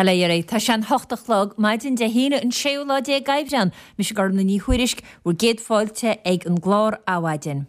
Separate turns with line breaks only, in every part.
Bail ó Dhia oraibh. Tá sé an hocht a chlog, maidin Dé hAoine an séú lá déag Aibreán. Mise Gormlaith Ní Thuairisg, bhur gcéad fáilte ag an gclár Adhmhaidin.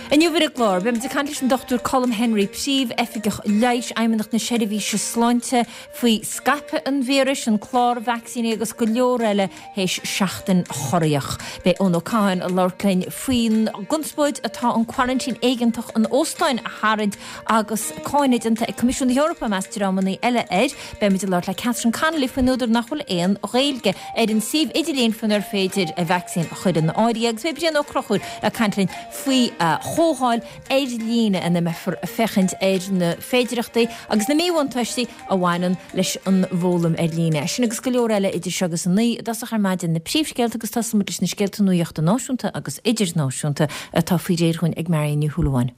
Inniu ar an gclár, beimid ag caint leis an Dr Colm Henry, Príomh-Oifigeach Leighis, Fheidhmeannacht na Seirbhíse Sláinte, faoi scaipeadh an víris, an clár vacsaíní agus go leor eile théis seachtain chorraitheach. Beidh Eoin Ó Catháin ag labhairt linn faoin gconspóid atá an quarantine éigeantach in óstáin a tharraingt agus cáineadh déanta ag Coimisiún na hEorpa, i measc dreamanna eile, air. Beimid ag labhairt le Catherine Connolly faoin údar nach bhfuil aon Ghaeilge ar an suíomh idirlín faoinar féidir vacsaín a chur in áirithe agus beidh Brian Ó Conchúir ag caint linn faoi chomhdháil ar líne ina mbeifear ag féachaint ar na féidearthachtaí agus na míbhuntáistí a bhaineann leis an bhfoghlaim ar líne. Sin agus go leor eile idir seo agus a 9 i dtosach ar maidin, na príomhscéalta agus tosóimid leis na scéalta nuachta náisiúnta agus idirnáisiúnta atá faoi réir dhúinn ag Marion Ní Shúilleabháin.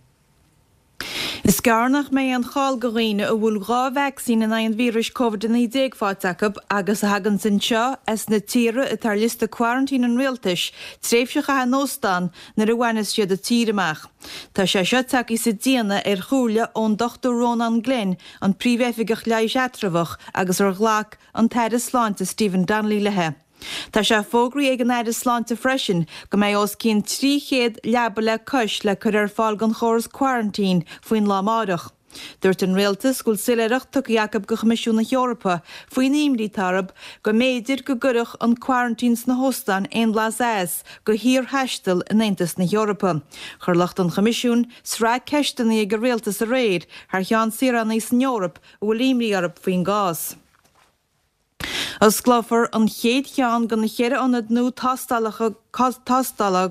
Is gearr nach mbeidh aon chall go dhaoine a bhfuil 2 vacsaín in aghaidh an víris Covid-19 faighte acu agus a thaganns anseo as na tíortha atá ar liosta quarantine an rialtais, tréimhse a chaitheamh in óstán nuair a bhaineas siad an tír amach. Tá sé seo tagtha sa déanamh ar chomhairle ón Dr Rónán Glynn, an Príomh-Oifigeach Leighis Eatramhach agus ar ghlac an tAire Sláinte Stephen Donnelly léi. Tá sé fógraithe ag an Aire Sláinte freisin go mbeidh os cionn 300 leaba le cois le cur ar fáil don chóras quarantine faoin lá amáireach. Dúirt an Rialtas go bhfuil soiléireacht tugtha acu go Choimisiún na hEorpa faoin imní atá orthu go mb'fhéidir go gcuirfeadh an quarantine sna hóstáin aon bhlas as go shaorthaisteal in Aontas na hEorpa. Chuir lucht an Choimisiúin sraith ceisteanna ag an Rialtas aréir thar cheann saoránaigh san Eoraip a bhfuil imní orthu faoin gcás. Osclófar an chéad cheann de na cheithre ionad nua tástála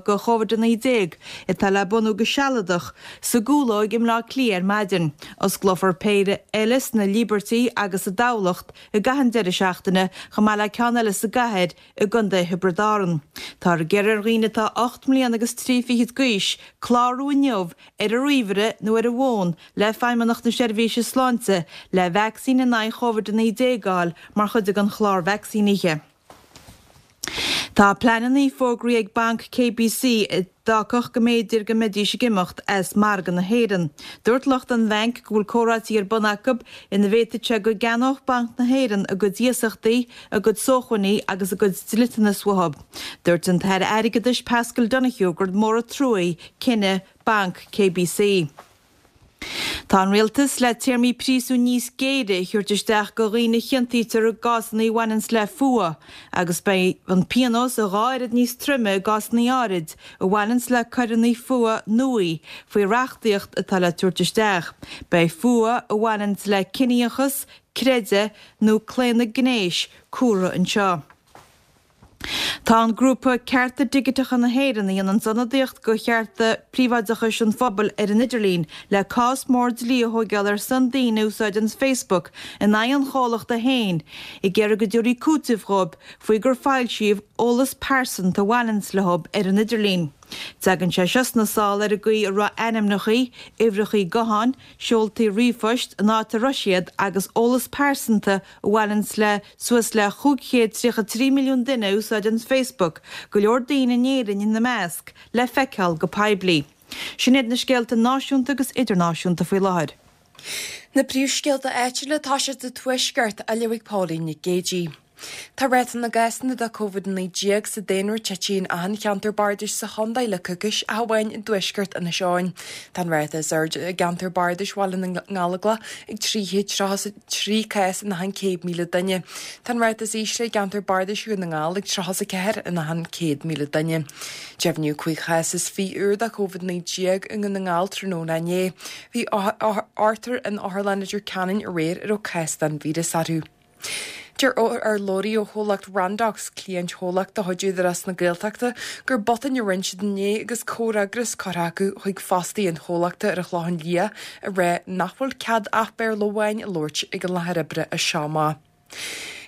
do Covid-19 atá le bunú go sealadach sa gCúlóig i mBleá Cliath ar maidin. Osclófar péire eile sna Líbeirtí agus i dTamhlacht i gcaitheamh an deireadh seachtaine, chomh maith le ceann eile sa gcathair i gContae Thiobraid Árann. Táthar ag iarraidh ar dhaoine atá 8 mbliana agus 3 fichid d'aois clárú inniu ar an ríomhaire nó ar an bhfón le Feidhmeannacht na Seirbhíse Sláinte le vacsaín in aghaidh Covid-19 a fháil mar chuid den chlár vacsaínithe. Tá pleananna fógraithe ag Banc KBC a d'fhágfadh go mb'fhéidir go mbeidís ag imeacht as margadh na hÉireann. Dúirt lucht an bhainc go bhfuil comhráití ar bun acu ina bhféadfadh sé go gceannódh Banc na hÉireann a gcuid iasachtaí, a gcuid sócmhainní agus a gcuid dliteanas uathu. Dúirt an tAire Airgeadais Paschal Donohoe gur mór an trua cinneadh Banc KBC. Tá an Rialtas le téarmaí príosúin níos géire a thabhairt isteach go dhaoine a chiontaítear i gcásanna a bhaineanns le fuath agus beidh an pionós a dhá oiread níos troime i gcásanna áirid a bhaineanns le coireanna fuatha nuaí faoi reachtaíocht atá le tabhairt isteach. Beidh fuath a bhaineanns le ciníochas, creideamh nó claonadh gnéis cumhraithe anseo. Tá an grúpa Cearta Digiteacha na hÉireann, a dhéananns ionadaíocht go chearta príobháideachais an phobail ar an idirlíon, le cás mór dlí a thóigeáil ar son daoine a úsáideanns Facebook in aghaidh an chomhlachta féin, ag iarraidh go dtabharfaí cúiteamh dhóibh faoi gur foilsíodh eolas pearsanta a bhaineanns leob ar an idirlíon. Tagann sé seo sna sála ar an gcaoi a raibh ainmneachaí, uimhreachaí gutháin, seoltaí ríomhphoist, an áit a raibh siad agus eolas pearsanta a bhaineanns le suas le 533 milliún duine a úsáideanns Facebook, go leor daoine in Éirinn ina measc, le feiceáil go poiblí. Sin iad na scéalta náisiúnta agus idirnáisiúnta faoi láthair.
Na príomhscéalta áitiúla atá siad sa Tuaisceart á léamh ag Pauline Nic Géidigh. Tá ráta na gcásanna de Covid-19 sa daonra tite in achan cheantar bardais sa chontae le coicís ach amháin i dtuaisceart Inis Eoghain. Tá an ráta is airde i gceantar bardais Bhaile na nGallóglach ag 333 cás in achan 100,000 duine. Tá an ráta is ísle i gceantar bardais Dhún na nGall ag 34 in achan 100,000 duine. Deimhníodh 5 chás is 20 úr de Covid-19 i nDún na nGall tráthnóna inné. Bhí ochtar in Otharlann Leitir Ceanainn aréir a raibh cás den víreas orthu. Deir urlabhraí ó chomhlacht Randox, cliantchomhlacht de chuid Údarás na Gaeltachta, gur botún a rinne siad inné agus comhfhreagras curtha acu chuig fostaithe an chomhlachta ar an Chlochán Liath ag rá nach bhfuil cead ach Béarla amháin a labhairt ag an láthair oibre as seo amach.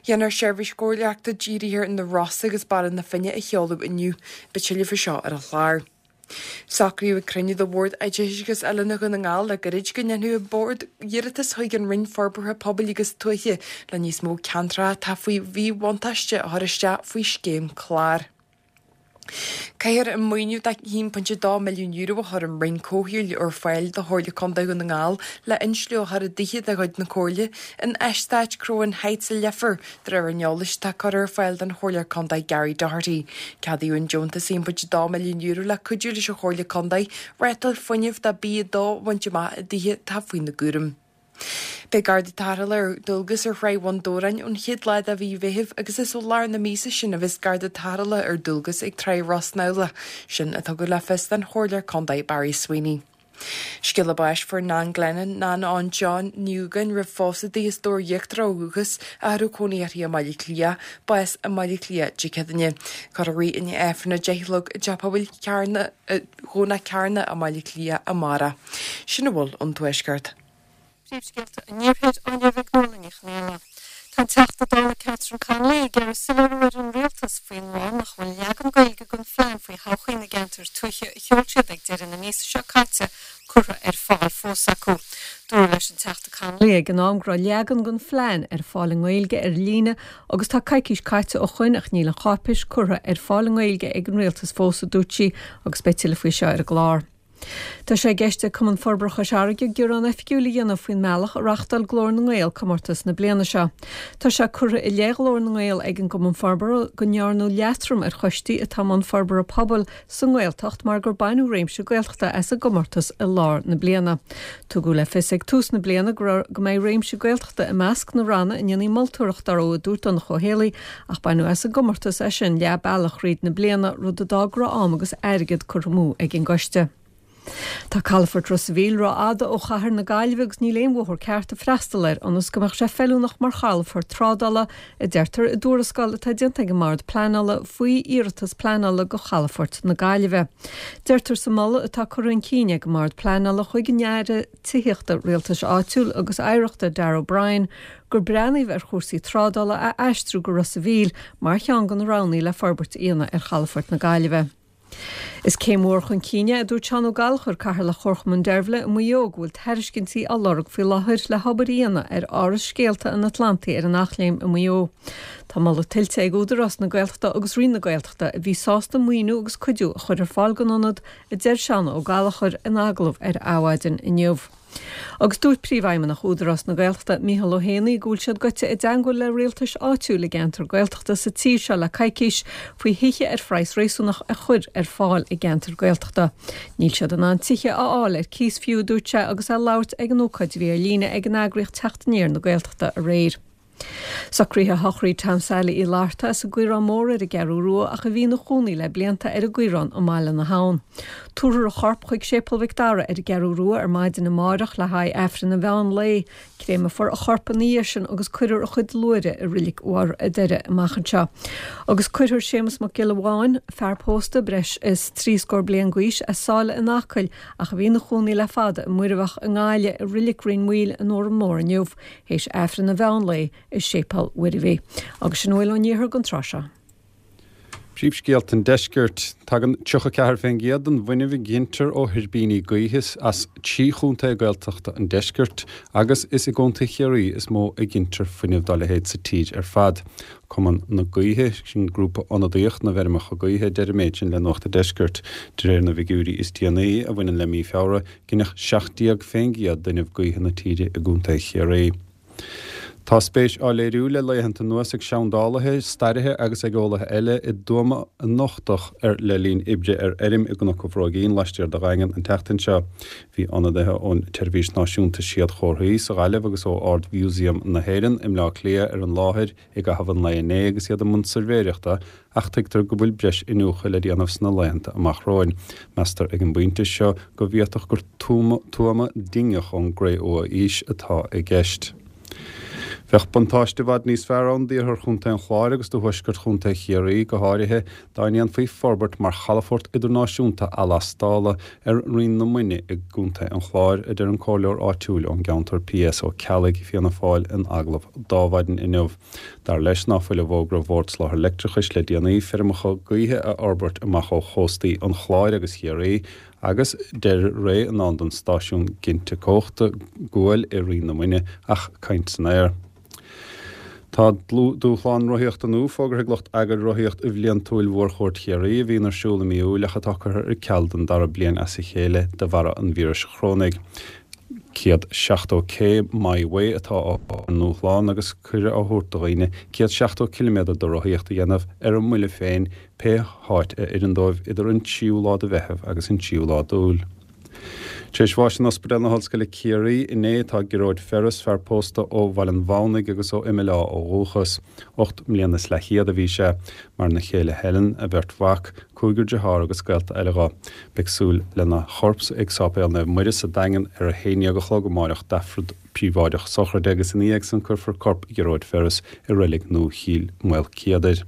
Déanfar seirbhís chóiríochta dírithe ar na Rosa agus Baile na Finne a sheoladh inniu. Beidh tuilleadh faoi seo ar an chlár. Socraíodh ag cruinniú de Bhord Oideachais agus Oiliúna Dhún na nGall le gairid go ndéanfadh an Bord iarratas chuig an Roinn Forbartha Pobail agus Tuaithe le níos mó ceantracha atá faoi mhíbhuntáiste a chur isteach faoi scéim clár. Caithfear an maoiniú de €1.2 milliún a chuir an Roinn Comhshaoil ar fáil do Chomhairle Contae Dhún na nGall le insliú a chur i dtithe de chuid na Comhairle in eastát Croghan Heights i Leifear, de réir an eolais atá curtha ar fáil don Chomhairleoir Contae Gary Doherty. Ceadaíodh an deontas €1.2 milliún le cuidiú leis an Chomhairle Contae rátáil fuinnimh de B2 a bhaint amach i dtithe atá faoina gcúram. Beidh Garda Tarrthála ar dualgas ar Thráigh Bhun Dobhráin ón chéad lá de mhí Mheithimh agus is ó lár na míosa sin a bheas Garda Tarrthála ar dualgas ag Tráigh Ros Namhla, sin a tugadh le fios don Chomhairleoir Contae Barry Sweeney. Scéala báis fuair Nan Glennon, Nan Eoin John, Ní Dhúgáin roimh phósadh di as Dobhar Íochtarach ó dhúchas ach a raibh cónaí uirthi i mBaile Átha Cliath, bás i mBaile Átha Cliath Dé Céadaoine. Cuirfear í i ndiaidh Aifreann a 10 a chlog i dTeach Pobail Chearna, Dhomhnach Cearna i mBaile Átha Cliath amárach. Sin a bhfuil ón Tuaisceart.
Príomhscéalta an Iarthair á léamh ag Nuala Ní Chonghaile. Tá an Teachta Dála Catherine Connolly ag iarraidh soiléiriú ar an Rialtas faoin bhfáth nach bhfuil leagan Gaeilge den phlean faoi thodhchaí na gceantar tuaithe a sheol siad ag deireadh na míosa seo caite curtha ar fáil fós acu. Dúradh leis an Teachta Connolly ag an am go raibh leagan den phlean ar fáil i nGaeilge ar líne agus tá coicís caite ó shoin ach níl an cháipéis curtha ar fáil i nGaeilge ag an Rialtas fós, a dúirt sí agus beidh tuilleadh faoi seo ar an gclár. Tá sé i gceist ag Cumann Forbartha Chois Fharraige gearán oifigiúil a dhéanamh faoin mbealach a reáchtáil Glór na nGael comórtas na bliana seo. Tá sé curtha i leith Ghlór na nGael ag an gCumann Forbartha go ndearnadh leatrom ar choistí atá i mbun forbartha pobail sa nGaeltacht mar gur baineadh réimse Gaeltachta as an gcomórtas i lár na bliana. Tugadh le fios ag tús na bliana go raibh go mbeidh réimse Gaeltachta i measc na ranna a ndéanfaí moltóireacht orthu, a dúirt Donncha Ó Héalaí, Ach baineadh as an gcomórtas é sin leath bealach thríd na bliana, rud a d'fhág go raibh am agus airgead curtha amú ag an gcoiste. Tá calafort Ros a' Mhíl ró-fhada ó chathair na Gaillimhe agus níl aon bhóthar ceart ag freastal air ionas go mbeadh sé feiliúnach mar chalafort trádála, a deirtear i dtuarascáil atá déanta ag an mBord Pleanála faoi iarratas pleanála do chalafort na Gaillimhe. Deirtear sa mholadh atá curtha chun cinn ag an mBord Pleanála chuig an Aire Tithíochta, Rialtais Áitiúil agus Oidhreachta, Darragh O'Brien, gur breathnaíodh ar chúrsaí trádála a aistriú go Ros a' Mhíl mar cheann de na roghanna le forbairt a dhéanamh ar chalafort na Gaillimhe. Is céim mhór chun cinn é, a dúirt Seán Ó Gallchóir, Cathaoirleach Chomharchumann Deirbhile i Maigh Eo, go bhfuil tairiscintí á lorg faoi láthair le hobair a dhéanamh ar Áras Scéalta an Atlantaigh ar an Eachléim i Maigh Eo. Tá moladh tuillte ag Údarás na Gaeltachta agus Roinn na Gaeltachta, a bhí sásta maoiniú agus cuidiú a chur ar fáil don ionad, a deir Seán Ó Gallchóir in agallamh ar Adhmhaidin inniu. Agus dúirt Príomhfheidhmeannach Údarás na Gaeltachta, Micheál Ó hÉanaí, go bhfuil siad gaibhte i dteangmháil le rialtais áitiúil i gceantair Gaeltachta sa tír seo le coicís faoi thithe ar phraghas réasúnach a chur ar fáil i gceantair Gaeltachta. Níl siad in ann tithe a fháil ar cíos fiú, a dúirt sé agus é ag labhairt ag an ócáid a bhí ar líne ag an eagraíocht Teacht Aniar na Gaeltachta aréir. Socruithe sochraide Tom Sailí Uí Fhlatharta as an gCaorán Mór ar an gCeathrú Rua ach a bhí ina chónaí le blianta ar an gCaorán i mBaile na hAbhann. Tabharfar a chorp chuig Séipéal Mhic Dara ar an gCeathrú Rua ar maidin amárach le haghaidh Aifreann an mheán lae. Créamfar a chorp ina dhiaidh sin agus cuirfear a chuid luaithre i Reilig Bharr a' Doire amach anseo. Agus cuirfear Séamus Mac Giolla Bháin, fear pósta, breis is trí scór bliain d'aois, as Sáile in Acaill ach a bhí ina chónaí le fada i Muirbheach i nGaillimh i Reilig Rinn Mhaoil in Órán Mór inniu. Théis Aifreann an mheán lae i Séipéal Mhuirbhigh. Agus sin a bhfuil ón iarthar don tráth seo.
Príomhscéalta an Deiscirt. Tagann 34% den bhfuinneamh a ghintear ó thuirbíní gaoithe as trí chontae Gaeltachta an deiscirt agus is i gContae Chiarraí is mó a ghintear fuinneamh dá leithéid sa tír ar fad. Cumann na Gaoithe, sin grúpa ionadaíoch na bhfeirmeacha gaoithe, a deir an méid sin le Nuacht an Deiscirt. De réir na bhfigiúirí is déanaí, a bhaineann le mí Feabhra, Gineadh 17% d'fhuinneamh gaoithe na tíre i gContae Chiarraí. Tá spéis á léiriú le laethanta anuas ag seandálaithe, staraithe agus ag eolaithe eile i dtuama a nochtadh ar le linn oibre ar fheirm i gCnoc an Bhróigín laistiar de Dhaingean an tseachtain seo. Bhí ionadaithe ón tSeirbhís Náisiúnta Séadchomharthaí sa Ghaillimh agus ó Ard-Mhúsaem na hÉireann i mBleá Cliath ar an láthair i gcaitheamh an lae inné agus iad i mbun suirbhéireachta ach tuigtear go bhfuil breis iniúchadh le déanamh sna laethanta amach romhainn. Meastar ag an bpointe seo go bhféadfadh gur tuama dingeach ón gCré-Umha-Aois atá i gceist. Bheadh buntáiste i bhfad níos fearr ann d'iarthar Chontae an Chláir agus do thuaisceart Chontae Chiarraí go háirithe dá ndéanfaí forbairt mar chalafort idirnáisiúnta athlastála ar Rinn na Muine i gContae an Chláir, a deir an comhairleoir áitiúil ón gceantar P.S. Ó Ceallaigh, Fianna Fáil, in agallamh d'Adhmhaidin inniu. Dar leis ná fuil i bhfógra Bhord Soláthair Leictreachais le déanaí feirmeacha gaoithe a fhorbairt amach ó chóstaí an Chláir agus Chiarraí agus deireadh ré i ndán don stáisiún ginte cumhachta guail i Rinn na Muine ach caint san aer. Tá dúshlán rothaíochta nua fógartha ag lucht eagair rothaíocht bhliantúil Mhórchuairt Chiarraí a bhíonn ar siúl i mí Iúil ach atá curtha ar ceal don dara bliain as a chéile de bharra an víris chorónaigh. 170K My Way atá ar an ndúshlán agus cuireadh á thabhairt do dhaoine 170 ciliméadar de rothaíocht a dhéanamh ar a mbuille féin pé háit a oireann dóibh idir an tríú lá de Mheitheamh agus an tríú lá d'Iúil. Tar éis bháis in Ospidéal na hOllscoile Ciarraí inné tá Gearóid Ferris, fear pósta ó Bhaile an Mhamhnaigh agus ó Imeall Átha ó dhúchas. 8 mbliana is leathchéad a bhí sé. Maireann a chéile Helen, a bheirt mhac, cúigear dearthár agus gaolta eile dho. Beidh súil lena chorp ag Sáipéal Naomh Muire sa Daingean ar a haon dhéag a chlog amáireach d'Aifreann príobháideach sochraide agus ina dhiaidh san cuirfear corp Ghearóid Ferris i reilig nua Chill Mhaoilcéadair.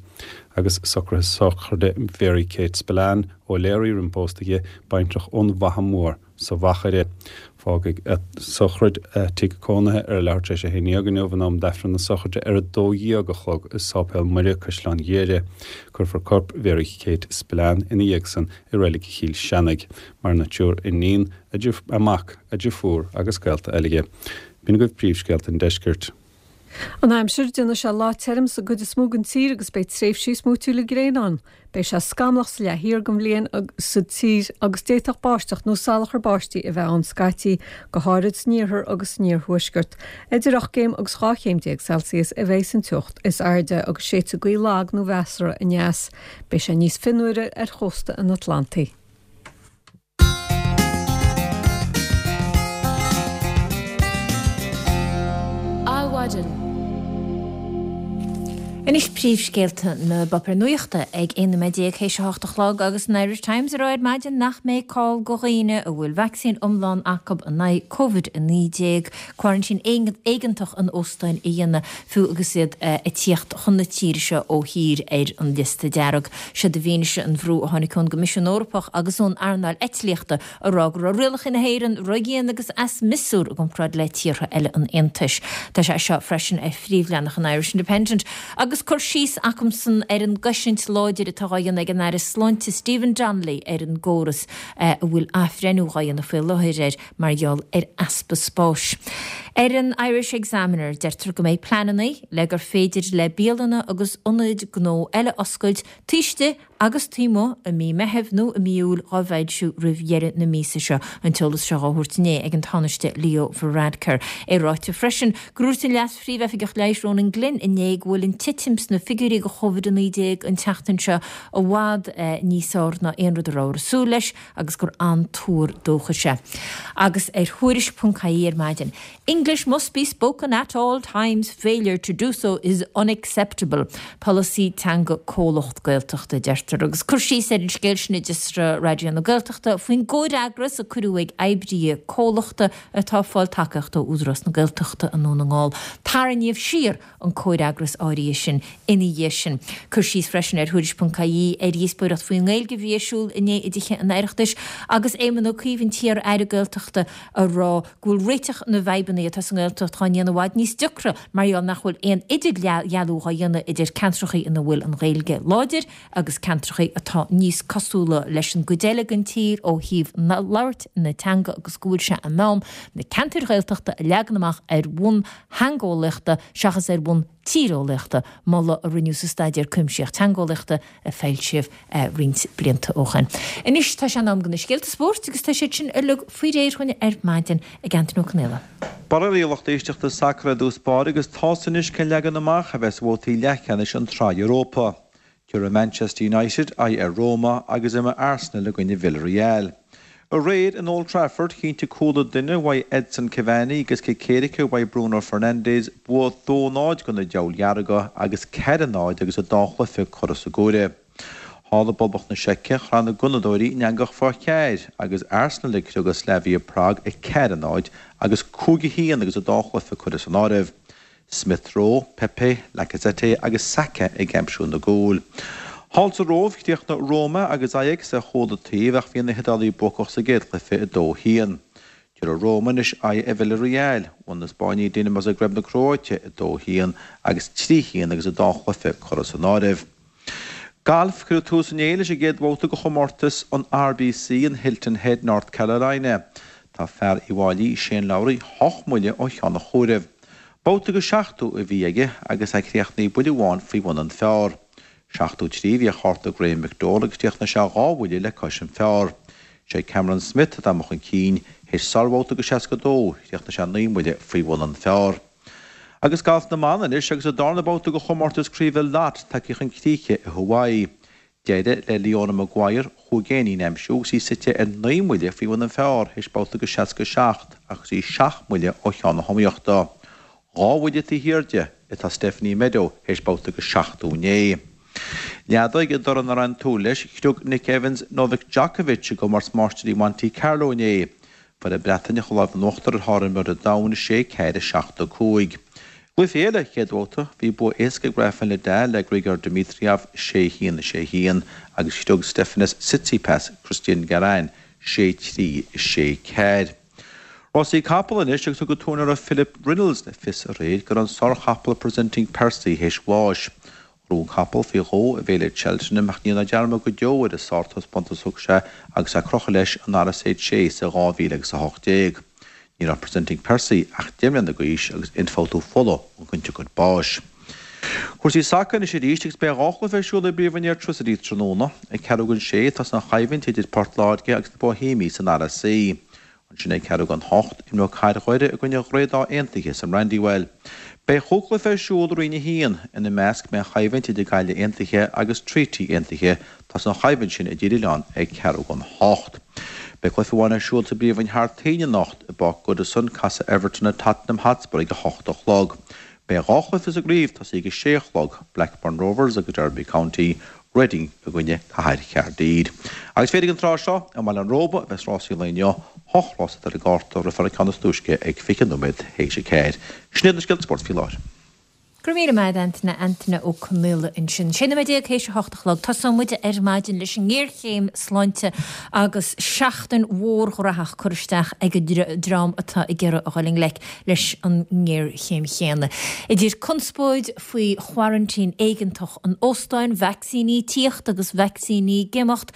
Agus socruithe sochraide Mhary Kate Spillane, Ó Léaraí roim pósta di, baintreach ón bhFaiche Mhór sa Mhachaire. Fágfaidh a sochraid a tigh cónaithe ar a leathuair tar éis a haon dhéag inniu in am d'Aifreann na sochraide ar a 12 a chlog i Sáipéal Muire, Caisleán Ghiarra. Cuirfear corp Mhary Kate Spillane ina dhiaidh san i Reilig Chill Seanaigh. Maireann a triúr iníon, a mac, a deirfiúr agus gaolta eile di. B'in agaibh príomhscéalta an deiscirt.
An aimsir, Déanfaidh sé lá tirim sa gcuid is mó den tír agus beidh tréimhsí smúitiúla gréine ann. Beidh sé scamallach sa leath thiar den bhliain sa tír agus d'fhéadfadh báisteach nó salachar báistí a bheith ann scaití, go háirid san iarthar agus san iarthuaisceart. Idir 8 gcéim agus 12 chéim Celsius a bheidh an teocht is airde agus séidfidh gaoth lag nó mheasartha aneas. Beidh sé níos fionnuaire ar chósta an Atlantaigh.
Adhmhaidin. Anois príomhscéalta na bpáipéar nuachta ag 11 nóiméad théis a hocht a chlog agus an Irish Times ag rá ar maidin nach mbeidh call go dhaoine a bhfuil vacsaín iomlán acu in aghaidh Covid-19 coraintín éigeantach in óstáin a dhéanamh fiú agus iad ag tíocht chun na tíre seo ó thír ar an liosta dearg. Siod i bhfianaise an bhrú a tháinig ón gCoimisiún Eorpach agus ón earnáil eitlíochta ag rá go raibh rialacha na hÉireann ródhian agus as miosúr i gcomparáid le tíortha eile an Aontais. Tá sé seo freisin ar phríomhleathanach an Irish Independent agus cur síos acusan ar an gcosaint láidir atá á dhéanamh ag an Aire Sláinte Stephen Donnelly ar an gcóras a bhfuil athbhreithniú á dhéanamh faoi láthair air mar gheall ar easpa spáis. Ar an Irish Examiner, deirtear go mbeidh pleananna le gur féidir le bialanna agus ionaid gnó eile oscailt taobh istigh agus taobh amuigh i mí Meithimh nó i mí Iúil dhá bhfoilsiú roimh dheireadh na míosa seo, an t-eolas seo dhá thabhairt inné ag an Tánaiste Leo Varadkar. É ráite freisin gur dhúirt an Leas-Phríomh-Oifigeach Leighis Ronan Glynn inné go bhfuil an titim sna figiúirí do Covid-19 an tseachtain seo i bhfad níos fearr ná aon rud a rabhthar ag súil leis agus gur an-tuar dóchais é. Agus ar Thuairisc.ie ar maidin, English must be spoken at all times, failure to do so is unacceptable. Polasaí teanga comhlacht Gaeltachta, a deirtear. Agus cur síos ar an scéal sin i dTuairisc Raidió na Gaeltachta faoin gcomhfhreagras a cuireadh ag oibrithe comhlachta atá ag fáil tacaíocht ó Údarás na Gaeltachta i nDún na nGall. Tarraingíodh siar an comhfhreagras áirithe sin ina dhiaidh sin. Cur síos freisin ar Thuairisc.ie ar dhíospóireacht faoin nGaeilge a bhí ar siúl inné i dTithe an Oireachtais agus Éamon Ó Cuív, an t-iar-aire Gaeltachta, ag rá go bhfuil réiteach na bhfadhbanna atá sa nGaeltacht dhá ndéanamh i bhfad níos deacra mar gheall nach bhfuil aon idirdhealú dhá dhéanamh idir ceantracha ina bhfuil an Ghaeilge láidir agus ceantracha atá níos cosúla leis an gcuid eile den tír ó thaobh labhairt na teanga agus go bhfuil sé in am na ceantair Ghaeltachta a leagan amach ar bhonn theangeolaíochta seachas ar bhonn tíreolaíochta, moladh a rinneadh sa Staidéar Cuimsitheach Teangeolaíochta a foilsíodh roinnt blianta ó shin. Anois tá sé in am do na scéalta spóirt agus tá siad sin uilig faoi réir dhúinn ar maidin ag Antaine Ó Conaola.
Borradh a bhí lucht éisteachta sacair i dtús báire agus tá's anois cén leagan amach a bheas ar bhabhtaí leathcheannais an tSraith Europa. Tabharfaidh Manchester United aghaidh ar Roma agus imreoidh Arsenal i gcoinne Villarreal. Aréir in Old Trafford, chinntigh cúl an duine uaidh Edson Cavani agus cic éirice uaidh Bruno Fernandes bua 2-0 do na Diabhail Dhearga agus 4-0 agus an dá chluiche curtha sa gcomhaireamh. Thall i bPoblacht na Seice, chraith na Gunnadóirí an eangach fá cheathair agus Arsenal ag criogadh Slavia Prague 4-0 agus 5-1 agus an dá chluiche curtha san áireamh. Smith Rowe, Pepe, Lacazette agus Saka ag aimsiú na gcúl. Thall sa Róimh, chríochnaigh Roma agus Ajax ar chúl an taobh ach bhí na hIodálaigh buacach sa gcéad chluiche 2-1. Tabharfaidh Roma anois aghaidh ar Villarreal. Bhuaigh na Spáinnigh Dinamo Zagreb na Cróite 2-1 agus 3-1 agus an dá chluiche curtha san áireamh. Galf, Cuireadh tús inné leis an gcéad bhabhta de chomórtas an RBC in Hilton Head, North Carolina. Tá fear Uíbh Fhailí, Shane Lowry, hocht mbuille ó cheann an chomhairimh. Babhta go 70 a bhí aige agus é críochnaithe buille amháin faoi bhun an phar. 73 a bhí ar chárta Graham McDowell agus chríochnaigh sé dhá bhuille le cois an phar. Sé Cameron Smith atá amuigh chun cinn théis sárbhabhta go 62, chríochnaigh sé 9 mbuille faoi bhun an phar. Agus galf na mban anois agus an darna babhta de chomórtas craoibhe Lot tagtha chun críche i Hawaii. D'éirigh le Leona Maguire chúig éinín a aimsiú agus í suite ar 9 mbuille faoi bhun an phar théis babhta go 67 ach is í seacht mbuille ó cheann na hiomaíochta. Dhá bhuille taobh thiar di atá Stephanie Meadow théis babhta go 79. Leadóig i dtoradh nach raibh aon tsúil leis, chriog Nick Evans Novak Djokovic i gcomórtas Máistirí Monte Carlo inné. Fuair an Breataineach an lámh in uachtar ar shárimreoir an domhain, 6, 4, 7, 5. I gcluiche eile, chéad bhabhta, bhí bua éasca ag Rafael Nadal ar Grigor Dimitrov, 6, 1, 6, 1, agus chriog Stefanos Tsitsipas Cristian Garin, 6, 3, 6, 4. Rásaí capall anois agus thug an t-úinéir Philip Reynolds le fios aréir go raibh an sárchapall Presenting Percy théis bháis. Ghnóthaigh an capall faoi dhó i bhféile Cheltenham ach ní dhéanfar dearmad go deo ar an sártaispeántas a thug sé agus é ag crochadh leis an RSH Chase i 2018. Ní raibh Presenting Percy ach 10 mbliana d'aois agus ionfhabhtú fola an chionsiocair báis. Cúrsaí sacair anois arís agus beidh dhá chluiche ar siúl i bPríomhroinn Airtricity tráthnóna. Ag ceathrú don sé tosaíonn an choimhlint idir Port Láirge agus na Boihéimigh san RSC. Ansin ag ceathrú don hocht, imreoidh Cathair Dhoire i gcoinne Dhroichead Átha Aontaithe san Brandywell. Beidh chúig chluiche ar siúl i Roinn 1. Ina measc beidh an choimhlint idir Gaillimh Aontaithe agus Treaty Aontaithe. Tosaíonn an choimhlint sin i dTír Oileáin ag ceathrú don hocht. Beidh cluiche amháin ar siúl sa bPríomhroinn thar toinn anocht. I bPáirc Goodison, casfaidh Everton ar Tottenham Hotspur ag a hocht a chlog. Beidh dhá chluiche sa gcraobh tosaithe ag a sé a chlog, Blackburn Rovers agus Derby County, Reading i gcoinne Cathair Chaerdydd. Agus féachfaidh an tráth seo, i mBaile an Róba a bheas rásaí an lae inniu, ocht rás atá ar an gcárta, rithfear an ceann is túisce ag 20 nóiméad théis a ceathair. Sin iad na scéalta spóirt faoi láthair.
Go raibh míle maith agat Antaine, Antaine Ó Conaola ansin. 16 nóiméad théis a hocht a chlog. Tosóidh muid ar maidin leis an ngéarchéim sláinte agus seachtain mhór ghnóthach curtha isteach ag an dream atá ag iarraidh a dhul i ngleic leis an ngéarchéim chéanna. Idir conspóid faoi choraintín éigeantach an óstáin, vacsaíní ag tíocht agus vacsaíní ag imeacht,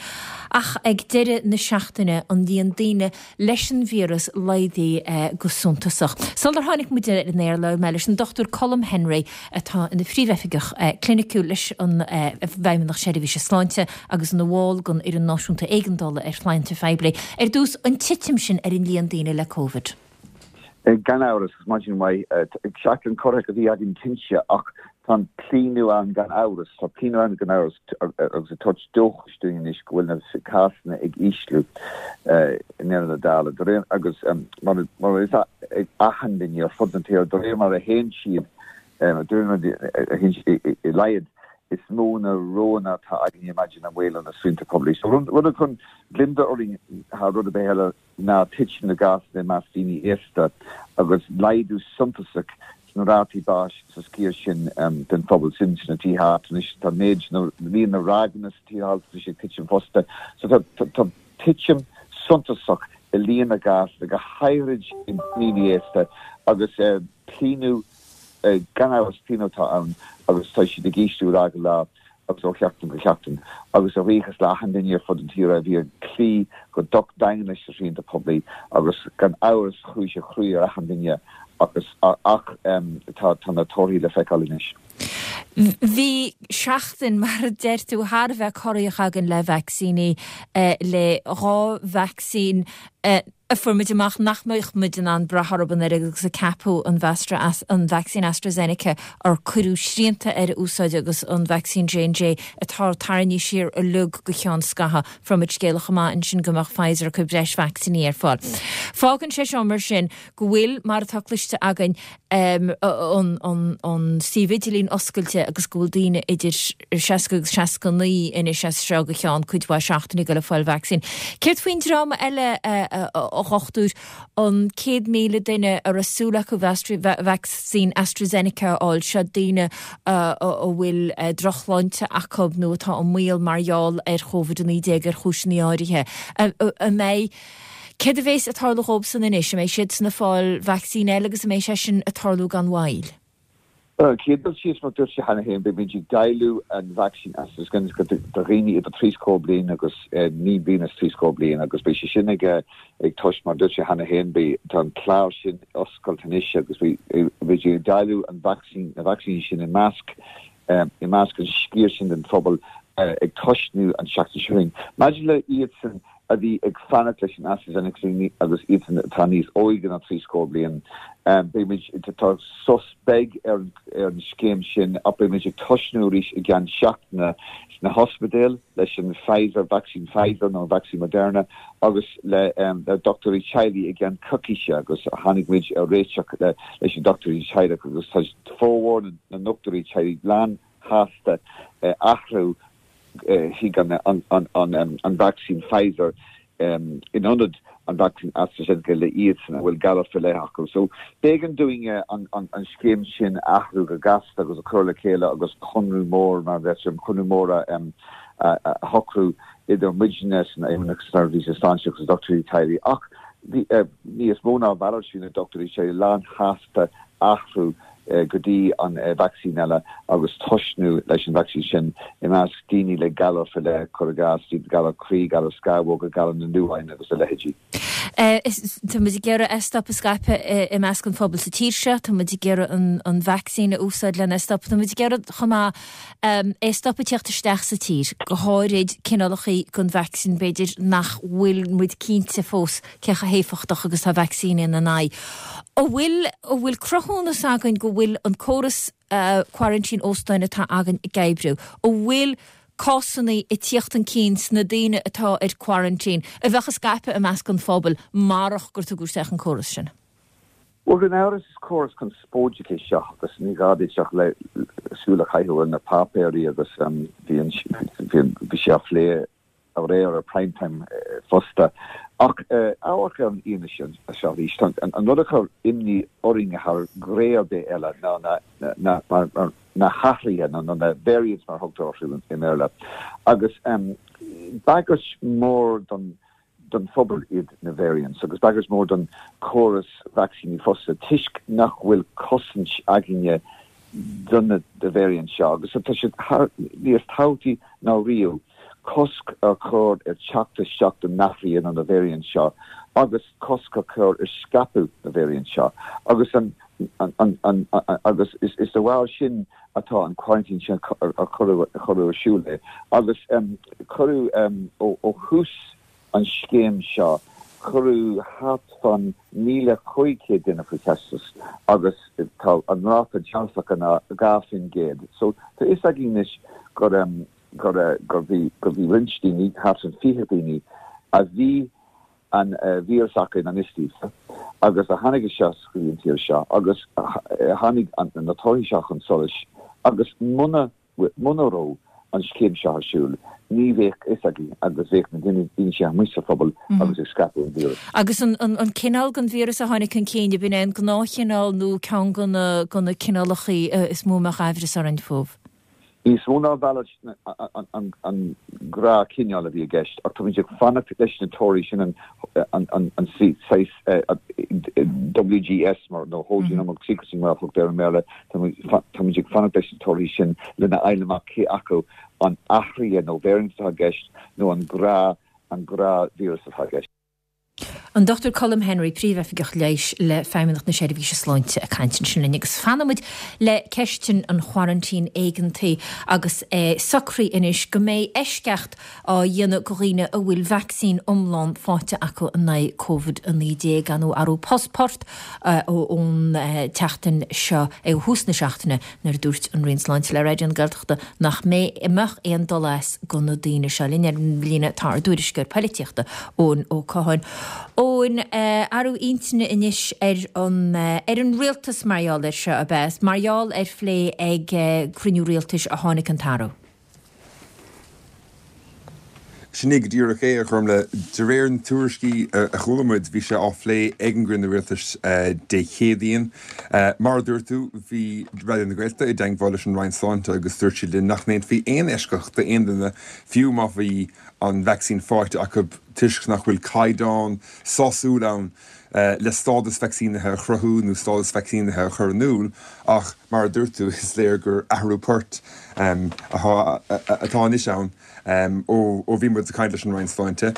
ach ag deireadh na seachtaine an líon daoine leis an víreas laghdaithe go suntasach. Sular tháinig muid ar an aer labhair mé leis an Dr Colm Henry atá ina Phríomhoifigeach Cliniciúil leis an bhFeidhmeannacht Seirbhíse Sláinte agus ina bhall den Fhoireann Náisiúnta Éigeandála ar Shláinte Phoiblí. Ar dtús, an titim sin ar an líon daoine le Covid.
Gan amhras, agus maidin mhaith. Seachtain corraitheach a bhí againn cinnte ach tá an claonadh ann gan amhras, tá claonadh ann gan amhras agus ag tabhairt dóchais dúinn anois go bhfuil na cásanna ag ísliú i ndeireadh na dála. De réir agus mar mar is ag achan duine ar fud na tíre, de réir mar a théann siad, de réir mar a théann siad i laghad, is mó na roghanna atá againne maidir le maolú na srianta poiblí. So rud a chuireann gliondar orainn thar rud ar bith eile, ná titim na gcásanna i measc daoine aosta agus laghdú suntasach sna rátaí báis sa sciar sin den phobal sin sna tithe altranais. Tá méid nó líon na ráigeanna sa tithe altranais ag titim fosta. So tá titim suntasach i líon na gcásanna, go háirid i ndaoine aosta agus claonadh, gan amhras, claonadh atá ann agus tá siad ag ísliú ó lá go lá. agus ó sheachtain go seachtain, agus a bhuíochas le achan duine ar fud an tíre a bhí ag cloí go docht daingean leis na srianta poiblí agus gan amhras chuaigh sé cruaidh ar achan duine agus ach tá tá na torthaí le feiceáil anois.
Bhí seachtain, mar a deir tú, thar a bheith corraitheach againn le vacsaíní, le dhá vacsaín a fuair muid amach nach mbeadh muid in ann brath orthu an oiread agus a ceapadh, an an vacsaín AstraZeneca ar cuireadh srianta ar a úsáid agus an vacsaín J&J atá tarraingthe siar uilig go ceann scaithimh. Fuair muid scéala chomh maith ansin go mbeadh Pfizer ag cur breis vacsaíní ar fáil. Fágann sé seo mar sin go bhfuil, mar atá cloiste againn, an suíomh idirlín oscailte agus go bhfuil daoine idir 60 agus 69 anois as seo go ceann cuid mhaith seachtainí ag goil ag fáil vacsaín. Céard faoin dream eile, a dhochtúir, an 100,000 duine a raibh súil acu vacsaín AstraZeneca a fháil, seo daoine a bhfuil drochshláinte acu nó atá i mbaol mar gheall ar Covid-19 ar chúiseanna áirithe. An mbeidh. Céard a bhéas ag tarlú dhóibh san anois? An mbeidh siad san ag fáil vacsaín eile agus an mbeidh sé sin ag tarlú gan mhoill?
Ar an chéad dul síos, mar dúirt sé cheana féin, beimid ag dáileadh an vacsaín AstraZeneca do dhaoine idir trí scór bliain agus 9 bliana is 30 bliain agus beidh sé sin ag tois, mar dúirt sé cheana féin, beidh, tá an clár sin oscailte anois agus beidh ag dáileadh an vacsaín, na vacsaíní sin i measc, i measc an sciar sin den phobal ag tosnú an tseachtain seo chugainn. Maidir le iadsan a bhí ag fanacht leis an AstraZeneca agus iadsan atá níos óige ná 30 bliain. Beimid, tá sos beag ar an scéim sin ach beimid ag tosnú arís i gceann seachtaine sna hospidéil leis an Pfizer, vacsaín Pfizer nó an vacsaín Moderna agus le dochtúirí teaghlaigh i gceann coicíse agus tháinig muid ar réiteach leis na dochtúirí teaghlaigh agus tá formhór na ndochtúirí teaghlaigh lán shásta athrú chuig an vacsaín Pfizer in ionad an vacsaín AstraZeneca le iadsan a bhfuil galar faoi leith acu. So b'éigean dúinn an scéim sin a athrú go gasta agus a chur le chéile agus conradh mór, mar a deirtear, conradh mór a shocrú idir muidne san Fheidhmeannacht Seirbhíse Sláinte agus na dochtúirí teaghlaigh. Ach bhí níos mó ná a mhalairt, bhí na dochtúirí teaghlaigh lán-shásta athrú go dtí an vacsaín eile agus tosnú leis an vacsaín sin i measc daoine le galar faoi leith, cuir i gcás, galar croí, galar scamhóga, galar na ndútháin agus a leithéidí.
Tá muid ag iarraidh é a stop ag scaipeadh i measc an phobail sa tír seo, tá muid ag iarraidh an vacsaín a úsáid lena stop, tá muid ag iarraidh chomh maith é a stop ag tíocht isteach sa tír, go háirid cineálacha den vacsaín b'fhéidir nach bhfuil muid cinnte fós cé chomh héifeachtach agus atá vacsaíní ina n-aghaidh. An bhfuil, an bhfuil cruthúnas againn go bhfuil an córas quarantine óstáin atá againn ag oibriú? An bhfuil cásanna ag tíocht chun cinn sna daoine atá ar quarantine a bheadh ag scaipeadh i measc an phobail marach gur tugadh isteach an córas sin?
Bhuel, gan amhras is córas conspóideach é seo agus ní gá duit ach le súil a chaitheamh ar na páipéirí agus bhí an, bhí sé á phlé aréir ar Prime Time fosta. Ach amharc ar an fhianaise seo arís. An rud a chuir imní orainn thar ghné ar bith eile ná na hathruithe, nó na variants mar a thugtar orthu i mBéarla. Agus bagairt mhór don don phobal iad na variants agus bagairt mhór don chóras vacsaíní fosta toisc nach bhfuil cosaint againne do na variants seo agus tá sé níos tábhachtaí ná riamh cosc a chur ar teacht isteach do na hathruithe nó na variants seo agus cosc a chur ar scaipeadh na variants seo agus an an an agus is is de bharr sin atá an quarantine sin a cuireadh ar siúl é agus cuireadh ó thús an scéim seo cuireadh thart fán 1,500 duine faoi teastas agus tá an ráta dearfach ná 2%. So tá fhios againn anois gur gur gur bhí gur bhí roinnt daoine, thart fán 20 daoine a bhí an víreas acu i ngan fhios daofa agus a tháinig isteach go dtí an tír seo agus tháinig na torthaí seo chun solais agus muna muna raibh an scéim seo ar siúl ní bheadh fhios againn agus bheadh na daoine sin amuigh sa phobal agus ag scaipeadh an víris.
Agus an cineál den víreas a tháinig chun cinn, ab in é an gnáthchineál nó ceann de na cineálacha is mó a mbeadh aimhreas orainn fúthu?
Níos mó ná a mhalairt an gnáthchineál a bhí i gceist, ach táimid ag fanacht leis na torthaí sin, an saghas WGS nó Whole Genomic Sequencing mar a thugtar air i mBéarla, táimid ag fanacht leis na torthaí sin lena fháil amach cé acu an athruithe nó variant atá i gceist nó an gnáthvíreas atá i gceist.
An Dr Colm Henry, Príomhoifigeach Leighis le Feidhmeannacht na Seirbhíse Sláinte ag caint ansin linn agus fanfaimid le ceist an choraintín éigeantaigh agus é socraithe anois go mbeidh eisceacht á dhéanamh do dhaoine a bhfuil vacsaín iomlán faighte acu in aghaidh Covid-19 nó athrú post ón tseachtain seo ó thús na seachtaine nuair a dúirt an Roinn Sláinte le Raidió na Gaeltachta nach mbeadh aon dul as do na daoine seo. Linn ar an líne tá ár dtuairisceoir poilitíochta, Eoin Ó Catháin. Eoin, athrú intinne anois ar an ar an rialtas mar gheall air seo, ab ea? Is mar gheall ar phlé ag cruinniú rialtais a tháinig an t-athrú.
Sin é go díreach é, a Ghormfhlaith. De réir na tuairiscí a chuala muid, bhí sé á phlé ag an gcruinniú rialtais Dé Céadaoin. Mar a dúirt tú, bhí Raidió na Gaeltachta i dteagmháil leis an Roinn Sláinte agus dúirt siad linn nach ndéanfaí aon eisceacht d'aon duine, fiú má bhí an vacsaín faighte acu, toisc nach bhfuil caighdeán sásúil ann. le stádas vacsaínithe a chruthú nó stádas vacsaínithe a chur in iúl ach mar a dúirt tú is léir gur athrú poirt atá anois ann ó bhí muid ag caint leis an Roinn Sláinte.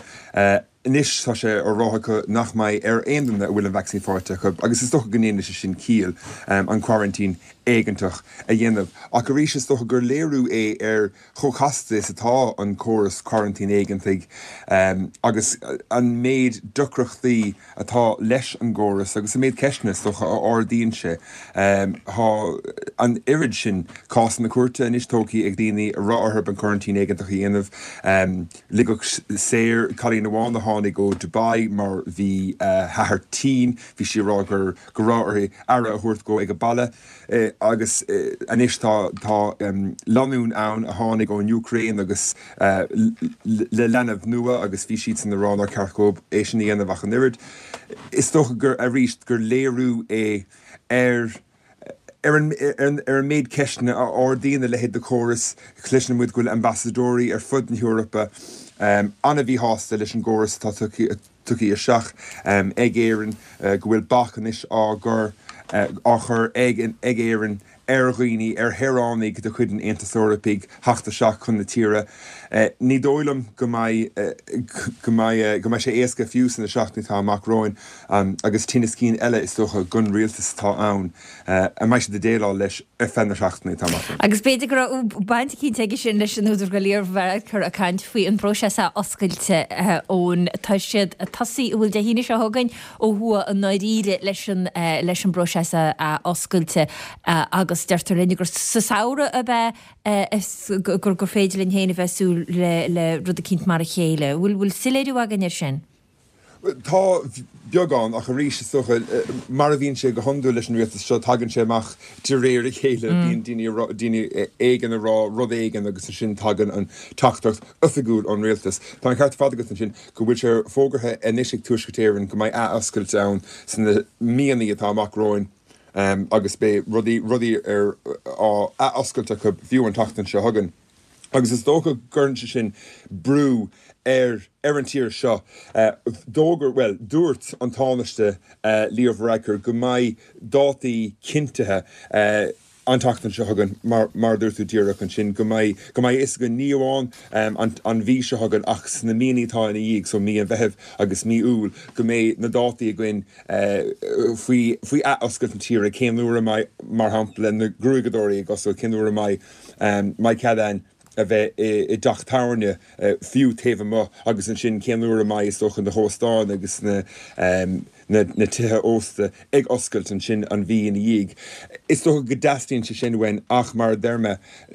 Anois tá sé á rá acu nach mbeidh ar aon duine a bhfuil an vacsaín faighte acu, agus is dócha go ndéanann sé sin ciall, an coraintín éigeantach a dhéanamh. Ach arís is dócha gur léiriú é ar chomh casta is atá an córas coraintín éigeantaigh agus an méid deacrachtaí atá leis an gcóras agus an méid ceisteanna, is dócha, a ardaíonn sé. Tá an oiread sin cásanna cúirte anois tógtha ag daoine a raibh orthu an coraintín éigeantach a dhéanamh. Ligeadh saor cailín amháin a tháinig ó Dubai mar bhí a hathair tinn, bhí sí ag rá gur go raibh uirthi aire a thabhairt dhó ag an baile agus anois tá tá lánúin ann a tháinig ón Úcráin agus le leanbh nua agus bhí siadsan ag rá nár cheart dhóibh é sin a dhéanamh ach an oiread. Is dócha gur arís gur léiriú é ar Ar an méid ceisteanna a ardaíonn a leithéid de chóras, cloiseann muid go bhfuil ambasadóirí ar fud na hEorpa an-mhíshásta leis an gcóras atá tugtha isteach ag Éirinn, go bhfuil bac anois á gcur á chur ag Éirinn ar dhaoine, ar shaoránaigh de chuid an Aontais Eorpaigh theacht isteach chun na tíre. Ní dóigh liom go mbeidh go mbeidh go mbeidh sé éasca fiú sna seachtainí atá amach romhainn. Agus tinneas cinn eile, is dócha, don rialtas atá ann, a mbeidh siad ag déileáil leis ar feadh na seachtainí atá amach romhainn.
Agus b'fhéidir go raibh baint eicínt aige sin leis an údar go Leo Varadkar ag caint faoi an bpróiseas athoscailte ón tá siad ag tosaí, an bhfuil Dé hAoine seo chugainn ó thuaidh i ndáiríre leis an leis an bpróiseas athoscailte agus deirtear linn gur sa samhradh ab ea gur gur féidir linn féin a bheith ag súil le le rud eicínt mar a chéile. Bhfuil bhfuil soiléiriú againn air sin?
Tá, beagán, ach arís, is dócha, mar a bhíonn sé go hiondúil leis an rialtas seo, tagann sé amach de réir a chéile, bíonn daoine, daoine éigin ag rá rud éigin agus ansin tagann an teachtaireacht oifigiúil ón rialtas. Tá an ceart ar fad agat ansin go bhfuil sé fógartha anois ag Tuaisceart Éireann go mbeidh athoscailt ann sna míonna atá amach romhainn agus beidh rudaí, rudaí ar, á athoscailt acu fiú an tseachtain seo chugainn. Agus is dócha go gcuireann sé sin brú ar ar an tír seo. D'fhógair, bhuel, dúirt an Tánaiste Leo Varadkar go mbeidh dátaí cinntithe an tseachtain seo chugainn, mar mar a dúirt tú díreach ansin, go mbeidh go mbeidh a fhios againn ní amháin an an mhí seo chugainn ach sna míonna atá ina dhiaidh, so mí an Mheithimh agus mí Iúil, go mbeidh na dátaí againn faoi faoi athoscailt na tíre, cén uair a mbeidh, mar shampla, na gruaigeadóirí ag oscailt, cén uair a mbeidh. mbeidh cead againn a bheith i dteach tábhairne, fiú taobh amuigh, agus ansin cén uair a mbeidh, is dócha, na hóstáin agus na na tithe ósta ag oscailt ansin an mhí ina dhiaidh. Is dócha go dteastaíonn sé sin uainn ach mar a deir mé,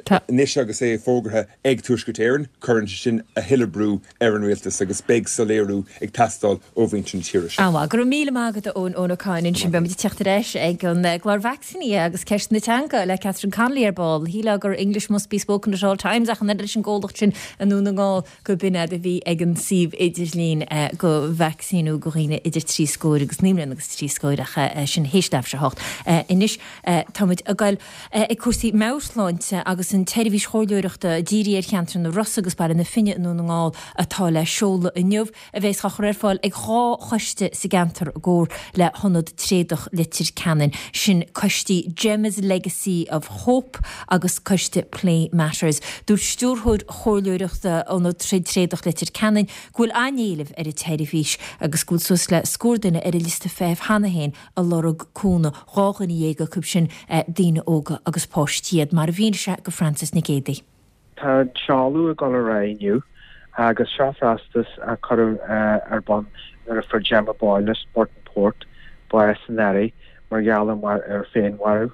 anois agus é fógartha ag Tuaisceart Éireann, cuireann sé sin a thuilleadh brú ar an rialtas agus beidh soiléiriú ag teastáil ó mhuintir na tíre seo.
An-mhaith. Go raibh míle maith agat a Eoin, Eoin Ó Cadhain ansin. Beidh muid ag teacht ar ais ag an gclár vacsaíní agus ceist na teanga le Catherine Connolly ar ball. Shílfeá gur English must be spoken at all times ach an oiread leis an gcomhlacht sin i nDún na nGall go b'in fhadhb a bhí ag an suíomh idirlín go vacsaíniú go dhaoine idir 3 scóir agus 9 mbliana agus 3 scóir ach sin théis leathuair tar éis a 8. Anois tá muid ag goil ag cúrsaí meabhairshláinte agus an tseirbhís chomhairleoireachta dírithe ar cheantar na Rosa agus Baile na Finne i nDún na nGall atá le seoladh inniu, a bheas á chur ar fáil ag 2 choiste sa gceantar i gcomhar le hIonad Tréadach Leitir Ceanainn, sin coistí Gemma's Legacy of Hope agus coiste Play Matters. Dúirt Stiúrthóir Chomhairleoireachta Ionad Troid Tréadach Leitir Ceanainn go bhfuil an-éileamh ar an tseirbhís agus go bhfuil suas le scór duine ar an liosta feithimh cheana féin ag lorg cúnamh, 12 dhuine acu sin daoine óga agus páistí iad, mar a mhínigh sé go Frances Nic Géadaigh.
Tá an seoladh ag dul ar aghaidh inniu agus seo feachtas a cuireadh ar bun nuair a fuair Gemma Boyle as Burtonport bás san earrach mar gheall ar féinmharú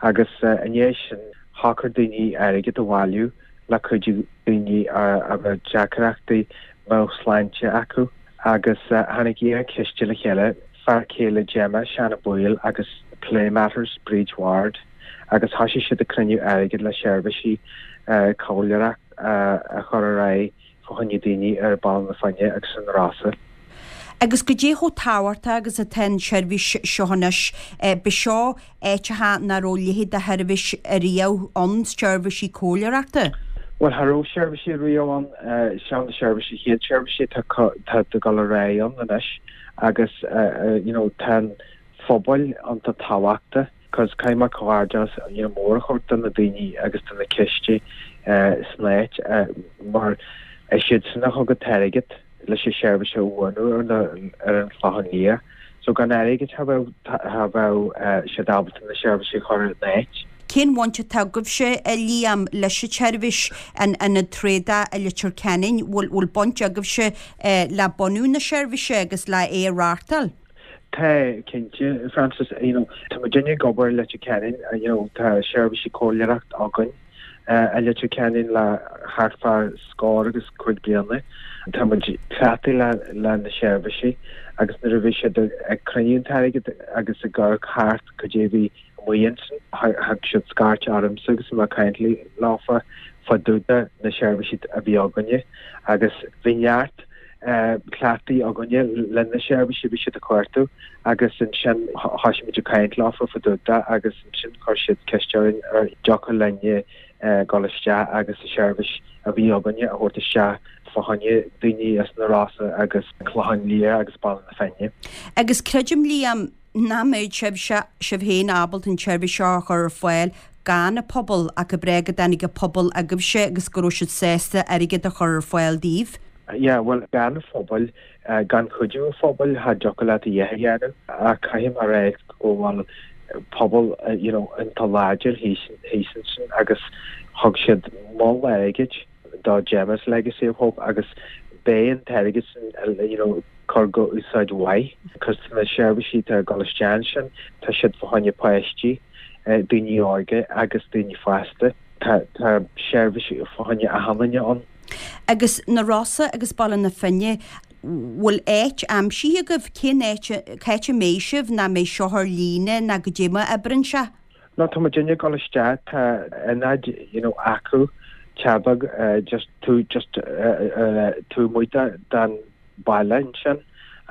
agus i ndiaidh sin shocair daoine airgead a bhailiú le cuidiú daoine a raibh deacrachtaí meabhairshláinte acu agus tháinig dhá chiste le chéile, fear céile Gemma, Seán Ó Baoill agus Play Matters, Bríd Ward agus thosaigh siad ag cruinniú airgid le seirbhísí comhairleoireachta a chur ar aghaidh fá choinne daoine ar Bhaile na Finne agus sna Rosa.
Agus goidé chomh tábhachtach agus atá an tseirbhís seo anois, b'seo áiteacha nach raibh a leithéid de sheirbhís ariamh ann, seirbhísí comhairleoireachta.
Bhuel, cha raibh seirbhísí riamh ann. Seo na seirbhísí, chéad seirbhísí atá ag dul ar aghaidh ann anois. Agus you know tá an phobail iontach tábhachtach cos caithfidh mé comhghairdeas you know mór a thabhairt do na daoine agus do na coistí san áit mar is iadsan a thug an t-airgead leis an seirbhís a bhunú ar na ar an Chlochán Liath. So gan airgead cha bheadh cha bheadh siad ábalta na seirbhísí a chur in áit.
Cén bhaint atá agaibhse, a Liam, leis an tseirbhís, an Ionad Tréadach i Leitir Ceanainn? Bhfuil bhfuil baint agaibhse le bunú na seirbhíse agus le é a reáchtáil?
Tá, cinnte, Frances. You know, tá muidinne ag obair i Leitir Ceanainn, you know, tá seirbhísí comhairleoireacht againn i Leitir Ceanainn le thart fá scór agus cuig bliana. Tá muid cleachtaithe le le na seirbhísí agus nuair a bhí siad ag cruinniú an t-airgead agus ag amharc thart cad é bhí amuigh ansin. Thug siad scairt ormsa agus bhí mé ag caint leofa fá dtaobh de na seirbhísí a bhí againne agus bhí neart cleachtaí againne le na seirbhísí a bhí siad ag cuartú agus ansin thoisigh muid ag caint leofa fá dtaobh de agus ansin chuir siad ceist orainn an dtiocfadh linne dul isteach agus an seirbhís a bhí againne a thabhairt isteach fá choinne daoine as na Rosa agus an Clochán Liath agus Baile na Finne.
Agus creidim, Liam, nach mbeadh sibhse, sibh féin ábalta an tseirbhís seo a chur ar fáil gan an pobal ach go breá go dtáinig an pobal agaibhse agus go raibh siad sásta airgead a chur ar fáil daoibh.
Yeah, bhuel, gan an phobal, gan cuidiú an phobail, cha dtiocfadh leat a dhath a dhéanamh. Ach caithfidh mé a rá go bhfuil pobal, you know, iontach láidir thíos, thíos ansin agus thug siad moll airgid do Gemma's Legacy of Hope agus beidh an t-airgead sin, you know, cur go úsáid mhaith cos na seirbhísí atá ag dul isteach ansin, tá siad fá choinne páistí, daoine óga agus daoine fásta. Tá tá seirbhísí fá choinne achan duine ann.
Agus na Rosa agus Baile na Finne, bhfuil áit aimsithe agaibh? Cén áit, cá háit a mbeidh sibh, ná mbeidh seo ar líne ná goidé mar a oibreann sé?
No tá muidinne ag dul isteach, tá ionad you know acu, teach beag just tú just taobh amuigh den baile ansin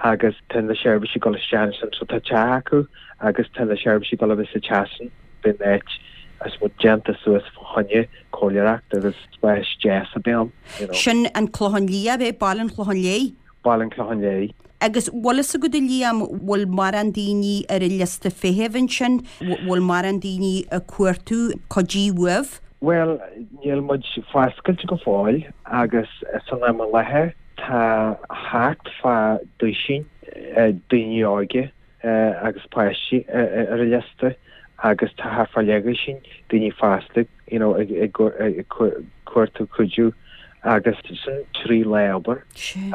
agus tá na seirbhísí ag dul isteach ansin so tá teach acu agus tá na seirbhísí ag dul a bheith sa teach sin beidh an áit I suppose déanta suas fá choinne comhairleoireacht agus spás deas a bheidh ann
you know. Sin an Clochán Liath, ab é? Baile an Chlocháin Léith?
Baile an Chlocháin Léith.
Agus bhfuil fhios agat a Liam, bhfuil mórán daoine ar an liosta feithimh ansin, bhfuil mórán daoine ag cuartú cuidiú uaibh?
Bhuel, níl muid foscailte go fóill agus san am i láthair tá thart fá duisín daoine óga agus páistí ar an liosta agus tá thart fá leathdhosaen daoine fásta you know ag cuartú cuidiú agus sin 3 lá obair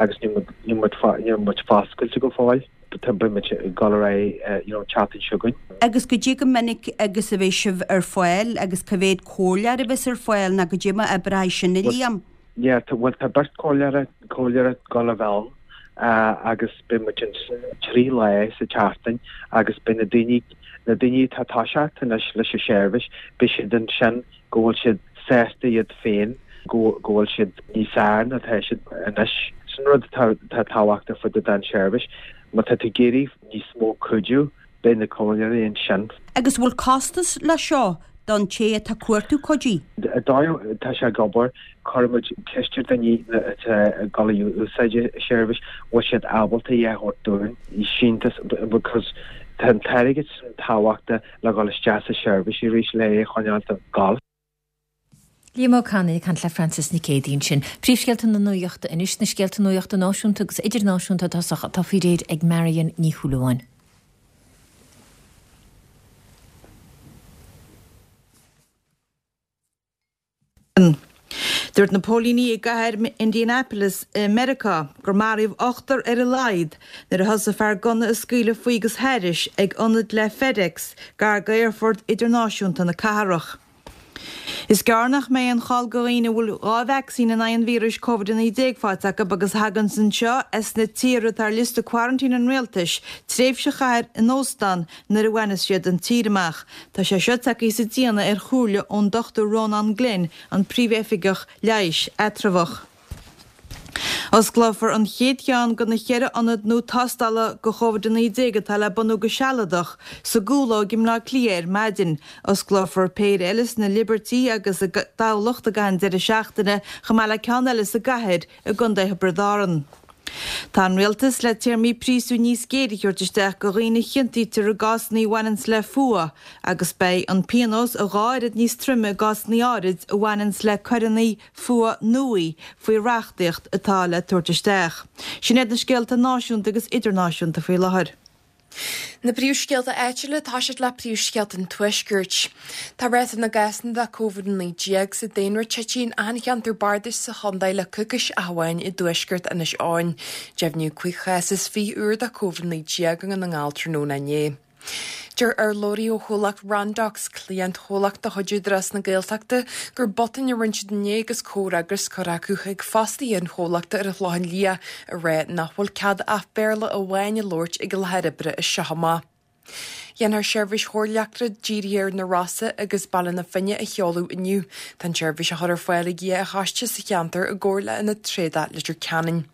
agus níl muid foscailte go fóill. Beidh muid ag dul ar aghaidh you know an tseachtain seo chugainn.
Agus goidé chomh minic agus a bheidh sibh ar fáil agus cá mhéad comhairleoir a bheas ar fáil ná goidé mar a oibreoidh sin a Liam?
Yeah, bhuel tá beirt comhairleoir, comhairleoir ag dul a bheith ann agus beidh muid ansin 3 lá sa tseachtain agus beidh na daoine, na daoine atá ag toiseacht anois leis an seirbhís, beidh siad ansin go bhfuil siad sásta iad féin, go go bhfuil siad níos fearr ná atá siad anois. Sin rud atá atá tábhachtach fá dtaobh den seirbhís. Má tá tú ag iarraidh níos mó cuidiú, Beidh na comhairleoirí ansin.
Agus bhfuil costas le seo don té atá ag cuartú cuidiú?
An dóigh atá sé ag obair, cuireann muid ceist ar daoine atá ag dul a úsáid an seirbhís, bhfuil siad ábalta é a thabhairt dúinn, síntiús, because tá an t-airgead sin tábhachtach le dhul isteach sa seirbhís arís le é a choinneáil ag gabháil.
Liam Ó Canainn ag caint le Frances Nic Géadaigh ansin. Príomhscéalta na nuachta anois, na scéalta nuachta náisiúnta agus idirnáisiúnta i dtosach atá faoi réir ag Marion Ní Shúilleabháin.
Dúirt na póilíní i gcathair Indianapolis i Meiriceá gur maraíodh ochtar ar a laghad nuair a thosaigh fear gunna ag scaoileadh faoi agus thairis ag ionad le FedEx gar d'aerfort idirnáisiúnta na cathrach. Is gearr nach mbeidh aon chall do dhaoine a bhfuil 2 vacsaín in aghaidh an víris Covid-19 faighte acu agus a thaganns anseo as na tíortha atá ar liosta quarantine an rialtais, tréimhse a chaitheamh in óstán nuair a bhaineas siad an tír amach. Tá sé seo tagtha sa déanamh ar chomhairle ón Dr Rónán Glynn, an Príomhoifigeach Leighis Eatramhach. Osclófar an chéad cheann de na cheithre ionad nua tástála do Covid-19 atá le bunú go sealadach sa gCúlóg i mBleá Cliath ar maidin. Osclófar péire eile sna Liberty agus i dTamhlacht i gcaitheamh an deireadh seachtaine chomh maith le ceann eile sa gcathair i gContae Thiobraid Árann. Tá an Rialtas le téarmaí príosúin níos géire a thabhairt isteach go dhaoine a chiontaítear i gcásanna a bhaineanns le fuath agus beidh an pionós a dhá oiread níos troime i gcásanna áirid a bhaineanns le coireanna fuath nuaí faoi reachtaíocht atá le tabhairt isteach. Sin iad na scéalta náisiúnta agus idirnáisiúnta faoi láthair.
Na príomhscéalta áitiúla, tá siad le príomhscéalta an Tuaiscirt. Tá ráta na gcásanna de Covid-19 sa daonra tite in achan cheantar bardais sa chontae le coicís ach amháin i dtuaisceart Inis Eoghain. Deimhníodh 25 chás úr de Covid-19 i nDún na nGall tráthnóna inné. Deir urlabhraí ó chomhlacht Randox, cliantchomhlacht de chuid Údarás na Gaeltachta, gur botún a rinne siad inné agus comhfhreagras curtha acu chuig fostaithe an chomhlachta ar an Chlochán Liath ag rá nach bhfuil cead ach Béarla amháin a labhairt ag an láthair oibre as seo amach. Déanfar seirbhís chóir leictreach dírithe ar na Rosa agus Baile na Finne a sheoladh inniu. Tá an tseirbhís á chur ar fáil ag 2 choiste sa cheantar i gcomhar le Ionad Tréadach Leitir Ceanainn.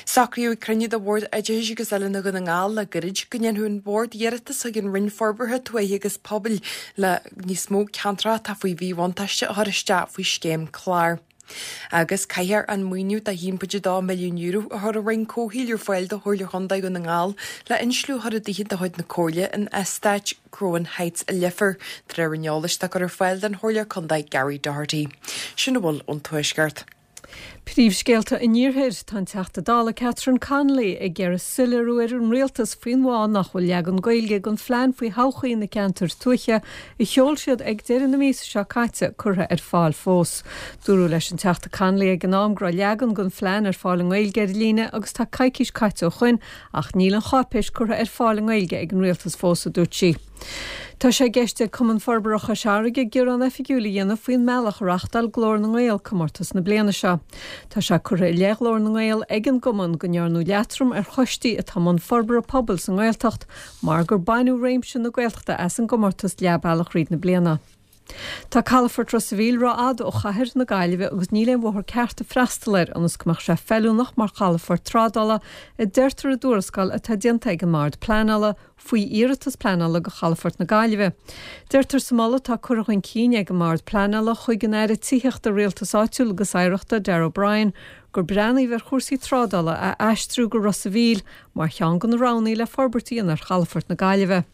Socraíodh ag cruinniú de Bhord Oideachais agus Oiliúna Dhún na nGall le gairid go ndéanfadh an Bord iarratas chuig an Roinn Forbartha Tuaithe agus Pobail le níos mó ceantracha atá faoi mhíbhuntáiste a chur isteach faoi scéim clár. Agus caithfear an maoiniú de €1.2 milliún a chuir an Roinn Comhshaoil ar fáil do Chomhairle Chontae Dhún na nGall le insliú a chur i dtithe de chuid na Comhairle in eastát Croghan Heights i Leifear, de réir an eolais atá curtha ar fáil don Chomhairleoir Contae Gary Doherty. Sin a bhfuil ón Tuaisceart.
Príomhscéalta an Iarthair, Tá an Teachta Dála Catherine Connolly ag iarraidh soiléiriú ar an Rialtas faoin bhfáth nach bhfuil leagan Gaeilge den phlean faoi thodhchaí na gceantar tuaithe a sheol siad ag deireadh na míosa seo caite curtha ar fáil fós. Dúradh leis an Teachta Connolly ag an am go raibh leagan den phlean ar fáil i nGaeilge ar líne agus tá coicís caite ó shoin ach níl an cháipéis curtha ar fáil i nGaeilge ag an Rialtas fós, a dúirt sí. Tá sé i gceist ag Cumann Forbartha Chois Fharraige gearán oifigiúil a dhéanamh faoin mbealach a reáchtáil Glór na nGael comórtas na bliana seo. Tá sé curtha i leith Ghlór na nGael ag an gcumann go ndearnadh leatrom ar choistí atá i mbun forbartha pobail sa nGaeltacht mar gur baineadh réimse na Gaeltachta as an gcomórtas leath bealach thríd na bliana. Tá Calafort Ros a' Mhíl rófhada ó chathair na Gaillimhe agus níl aon bhóthar ceart ag freastal air ionas go mbeadh sé feiliúnach mar chalafort trádála, a deirtear i dtuarascáil atá déanta ag an mBord Pleanála faoi iarratas pleanála do Chalafort na Gaillimhe. Deirtear sa mholadh atá curtha chun cinn ag an mBord Pleanála chuig an Aire Tithíochta, Rialtais Áitiúil agus Oidhreachta, Darragh O'Brien, gur breathnaíodh ar chúrsaí trádála a aistriú go Ros a' Mhíl mar cheann de na roghanna le forbairt a dhéanamh ar chalafort na Gaillimhe.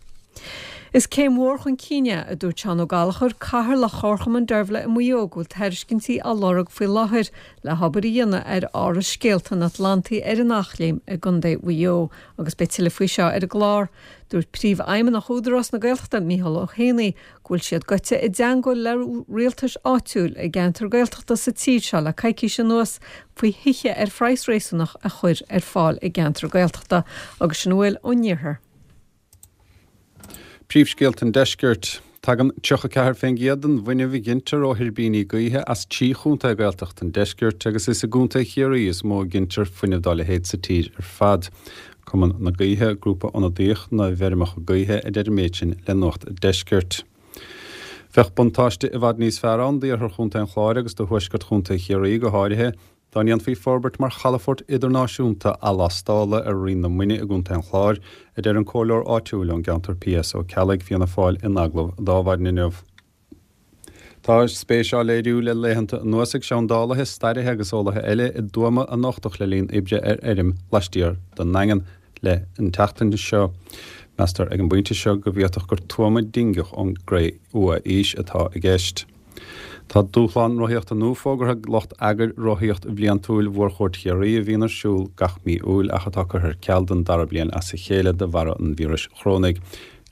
Is céim mhór chun cinn é, a dúirt Seán Ó Gallchóir, Cathaoirleach Chomharchumann Deirbhile i Maigh Eo, go bhfuil tairiscintí á lorg faoi láthair le hobair a dhéanamh ar Áras Scéalta an Atlantaigh ar an Eachléim i gContae Mhaigh Eo agus beidh tuilleadh faoi seo ar an gclár. Dúirt Príomhfheidhmeannach Údarás na Gaeltachta, Micheál Ó hÉanaí, go bhfuil siad gaibhte i dteangmháil le rialtais áitiúil i gceantair Gaeltachta sa tír seo le coicís anuas faoi thithe ar phraghas réasúnach a chur ar fáil i gceantair Gaeltachta agus sin a bhfuil ón iarthar.
Príomhscéalta an Deiscirt. Tagann 34% den bhfuinneamh a ghintear ó thuirbíní gaoithe as trí chontae Gaeltachta an deiscirt agus is i gContae Chiarraí is mó a ghintear fuinneamh dá leithéid sa tír ar fad. Cumann na Gaoithe, grúpa ionadaíoch na bhfeirmeacha gaoithe, a deir an méid sin le Nuacht an Deiscirt. Bheadh buntáiste i bhfad níos fearr ann d'iarthar Chontae an Chláir agus do thuaisceart Chontae Chiarraí go háirithe, Dá ndéanfaí forbairt mar chalafort idirnáisiúnta athlastála ar Rinn na Muine i gContae an Chláir, a deir an comhairleoir áitiúil ón gceantar P.S. Ó Ceallaigh, Fianna Fáil, in agallamh d'Adhmhaidin inniu. Tá spéis á léiriú le laethanta anuas ag seandálaithe, stairithe agus eolaithe eile i dtuama a nochtadh le linn oibre ar fheirm laistiar den nDaingean le an tseachtain seo. Meastar ag an bpointe seo go bhféadfadh gur tuama dingeach ón gCré-Umha-aois atá i gceist. Tá dúshlán rothaíochta nua fógartha ag lucht eagair rothaíocht bhliantúil Mhórchuairt Chiarraí a bhíonn ar siúl gach mí Iúil ach atá curtha ar ceal don dara bliain as a chéile de bharra an víris chorónaigh.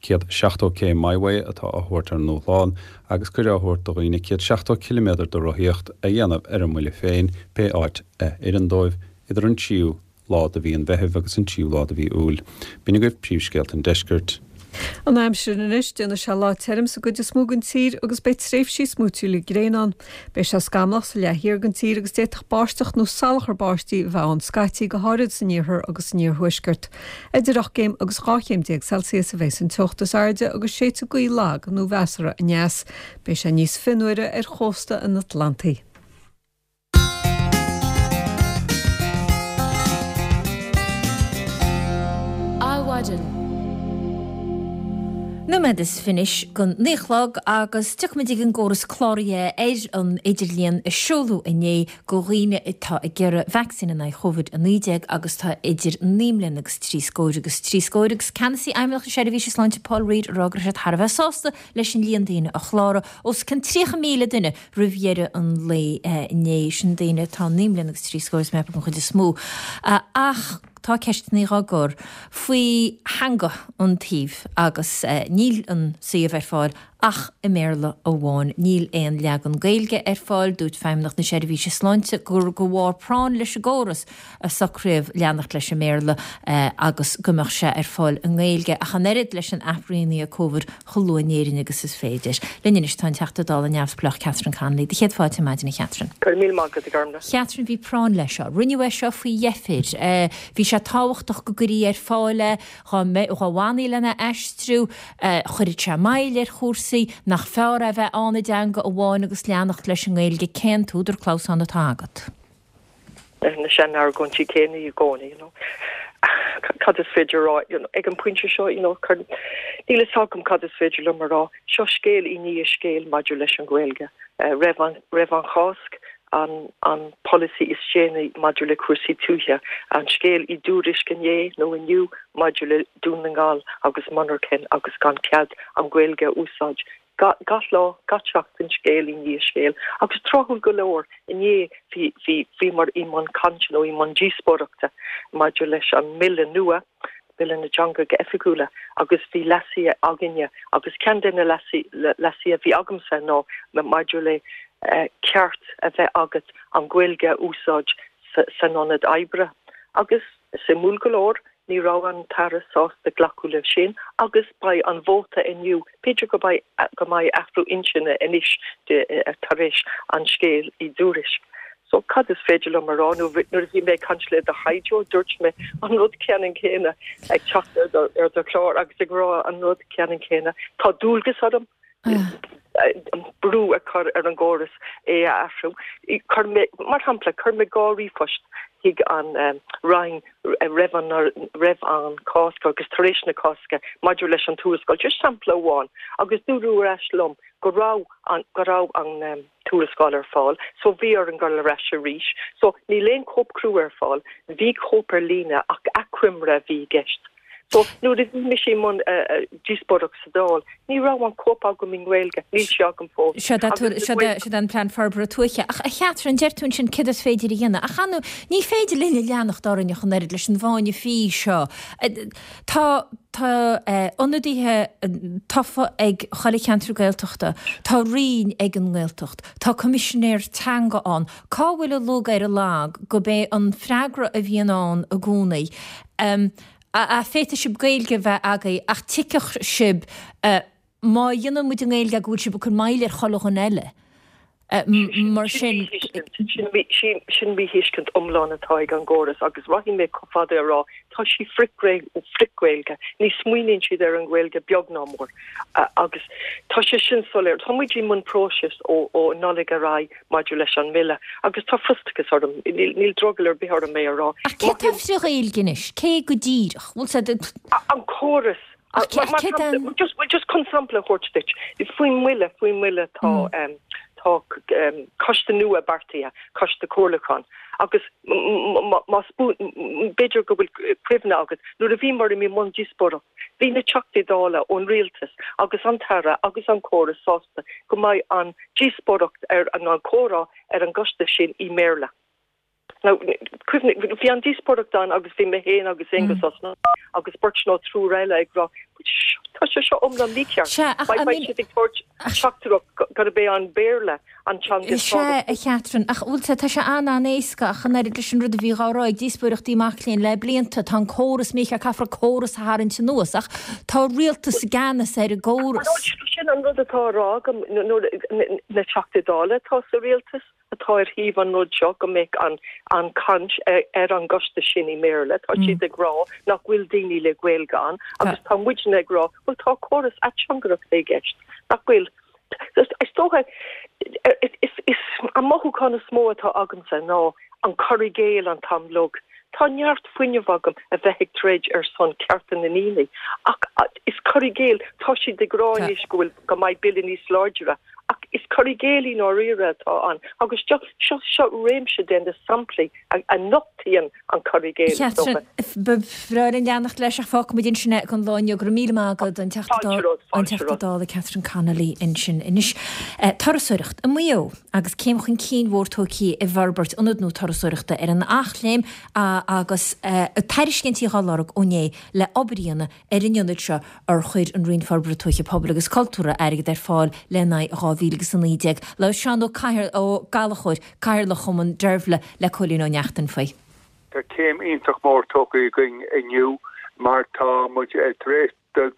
170 K My Way atá á thabhairt ar an ndúshlán agus cuireadh á thabhairt do dhaoine 170 ciliméadar de rothaíocht a dhéanamh ar a mbuille féin pé áit a oireann dóibh idir an tríú lá de mhí an Mheithimh agus an tríú lá de mhí Iúil. B'in agaibh príomhscéalta an deiscirt.
An aimsir anois, déanfaidh sé lá tirim sa gcuid is mó den tír agus beidh tréimhsí smúitiúla gréine ann. Beidh sé scamallach sa leath thiar den tír agus d'fhéadfadh báisteach nó salachar báistí a bheith ann scaití, go háirid san iarthar agus san iarthuaisceart. Idir 8 gcéim agus 12 chéim Celsius a bheas an teocht is airde agus séidfidh gaoth lag nó mheasartha aneas. Beidh sé níos fionnuaire ar chósta an Atlantaigh.
Adhmhaidin.
Nóiméad is fiche anois don 9 a chlog agus tiocfaimid ag an gcóras cláraithe ar an idirlíon a seoladh inné do dhaoine atá ag iarraidh vacsaín in aghaidh Covid-19 agus tá idir 9 mbliana agus trí scór agus trí scór agus Ceannasaí Fheidhmeannacht na Seirbhíse Sláinte Paul Reid ag rá go raibh siad thar a bheith sásta leis an líon daoine a chláraigh, os cionn 30,000 duine roimh dheireadh an lae inné. Sin daoine atá 9 mbliana agus trí scór is mé ag ceapadh an chuid is mó. Ach tá ceisteanna á gcur faoi theanga an tsuímh agus níl an suíomh ar fáil ach i mBéarla amháin. Níl aon leagan Gaeilge ar fáil. Dúirt Feidhmeannacht na Seirbhíse Sláinte gur de bharr práinn leis an gcóras a socraíodh leanacht leis an mBéarla agus go mbeadh sé ar fáil i nGaeilge ach an oiread leis an aip rianaithe Covid chomh luath in Éirinn agus is féidir. Linn anois tá an Teachta Dála neamhspleách Catherine Connolly. Do chéad fáilte ar maidin a Chatherine.
Go raibh míle maith agat, a Ghormfhlaith.
Chatherine, bhí práinn leis seo. Rinneadh é seo faoi dheifir. Bhí sé tábhachtach go gcuirí ar fáil é, dhá bhfanfaí lena aistriú, chuirfeadh sé moill ar chúrsaí, nach fearr é a bheith ann i dteanga amháin agus leanacht leis an nGaeilge. Cén t-údar clamhsáin atá agat?
Na sean-argóintí céanna i gcónaí, you know. Cad is féidir a rá, you know, ag an bpointe seo, you know, níl a fhios agam cad is féidir liom a rá. Seo scéal i ndiaidh scéil maidir leis an Ghaeilge. Roimh an, roimh an Cháisc, an, an polasaí is déanaí maidir le cúrsaí tuaithe, an scéal i dTuairisc inné nó inniu maidir le Dún na nGall agus monarchain agus gan cead an Ghaeilge a úsáid. Gach lá, gach seachtain, scéal i ndiaidh scéil. Agus tráthúil go leor, inné bhí, bhí, bhíomar i mbun cainte nó i mbun díospóireachta maidir leis an mBille nua, Bille na dTeangacha Oifigiúla, agus bhí leasuithe againne agus ceann de na leasuithe a bhí agamsa ná maidir le ceart a bheith agat an Ghaeilge a úsáid san ionad oibre. Agus suimiúil go leor, Ní raibh an tAire sásta glacadh leis sin agus beidh an vóta inniu, b'fhéidir go mbeidh go mbeidh athrú intinne anois tar éis an scéil i dTuairisc. So cad is féidir liom a rá nó nuair a bhí mé ag caint le do thaighdeoir dúirt mé an rud ceannann céanna ag teacht ar do ar do chlár agus ag rá an rud ceannann céanna. Tá dualgas orm brú a chur ar an gcóras é a athrú. Chuir mé, mar shampla, chuir mé 2 ríomhphost chuig an Roinn roimh an roimh an Cásc agus tar éis na Cásca maidir leis an tuarascáil, just sampla amháin, agus dúradh ar ais liom go raibh an go raibh an tuarascáil ar fáil, so bhí orm dul ar ais arís. So níl aon chóip chrua ar fáil, bhí cóip ar líne ach achoimre a bhí i gceist. So, nuair a bhí mise i mbun díospóireacht sa Dáil, ní raibh an cóip agam i nGaeilge, níl sé agam fós.
Seo é an Plean Forbartha Tuaithe. Ach a Chatherine, deir tú ansin céard is féidir a dhéanamh. Ach an, ní féidir linn a leanacht orainn ach an oiread leis an bhfáinne fí seo. Tá, tá ionadaithe tofa ag chuile cheantar Gaeltachta, tá roinn ag an nGaeltacht, tá Coimisinéir Teanga ann. Cá bhfuil an lug ar an lag gurb é an freagra a bhíonn ann i gcónaí? A Féadfaidh sibh Gaeilge a bheith agaibh ach tuigfidh sibh má dhéanann muid i nGaeilge go bhfuil sibh ag cur moill ar chuile dhuine eile. Mar sin.
Sin míthuiscint iomlán atá ag an gcóras agus rachaidh mé chomh fada a rá tá sí frith-Ghaeilge. Ní smaoiníonn siad ar an Ghaeilge beag ná mór agus tá sé sin soiléir. Tá muid i mbun próisis ó Nollaig ar aghaidh maidir leis an mBille agus tá frustrachas orm, níl drogall ar bith orm é a rá.
Ach cé atá frith-Ghaeilge anois? Cé go díreach? Bhfuil sé.
An córas. Ach cé an. Just, just chun sampla a thabhairt duit, faoin mBille, faoin mBille tá, tá coiste nua beartaithe, coiste comhairliúcháin agus más, b'fhéidir go bhfuil cuimhne agat, nuair a bhíomar i mbun díospóireacht, bhí na Teachtaí Dála ón Rialtas agus an tAire agus an córas sásta go mbeidh an díospóireacht ar an an comhrá ar an gcoiste sin i mBéarla. Now, cuimhnigh, bhí an díospóireacht ann agus bhí mé féin agus Aengus Ó Snodaigh agus beirt nó triúr eile ag rá, tá sé seo iomlán mícheart.
Sea, ach, I mean.
Beidh siad ag tabhairt teachtaireacht gurb é an Béarla an teanga is
Sea, a Chatherine, ach bhfuil sé, tá sé an-an-éasca ach an oiread leis an rud a bhí dhá rá ag díospóireachtaí mac léinn le blianta, tá an córas mícheart, caithfear an córas a tharraingt anuas, ach tá rialtas i gceannas ar an gcóras.
Sin an rud atá á rá agam, nuair, na Teachtaí Dála atá sa rialtas atá ar thaobh an rud seo, go mbeadh an, an chaint ar an gcoiste sin i mBéarla, tá siad ag rá nach bhfuil daoine le Gaeilge ann agus tá muidne ag rá, bhuel tá córas ateangaireachta i gceist, nach bhfuil? Is dócha, is an mothúchán is mó atá agamsa ná an cur i gcéill an t-am uilig. Tá neart fuinnimh agam a bheith ag troid ar son cearta na ndaoine ach is cur i gcéill, tá siad ag rá anois go bhfuil, go mbeidh bille níos láidre ach is cur i gcéill i ndáiríre atá ann agus seo, seo, seo réimse de na samplaí a nochtaíonn an cur i gcéill is dócha.
Ba bhreá linn leanacht leis ach fágfaimid ansin é don lá inniu. Go raibh míle maith agat, an Teachta Dála Catherine Connolly ansin. Anois, turasóireacht i Maigh Eo agus céim chun cinn mhór tógtha i bhforbairt ionad nua turasóireachta ar an Eachléim agus tairiscintí á lorg ó inné le obair a dhéanamh ar an ionad seo ar chuir an Roinn Forbartha Tuaithe, Pobail agus Cultúrtha airgead ar fáil lena aghaidh in 2019. Labhair Seán Ó Gallchóir, Cathaoirleach Chumann Deirbhile le Cóilín Ó Neachtain faoi.
Tá céim iontach mór tógtha againn inniu mar tá muid tar éis dul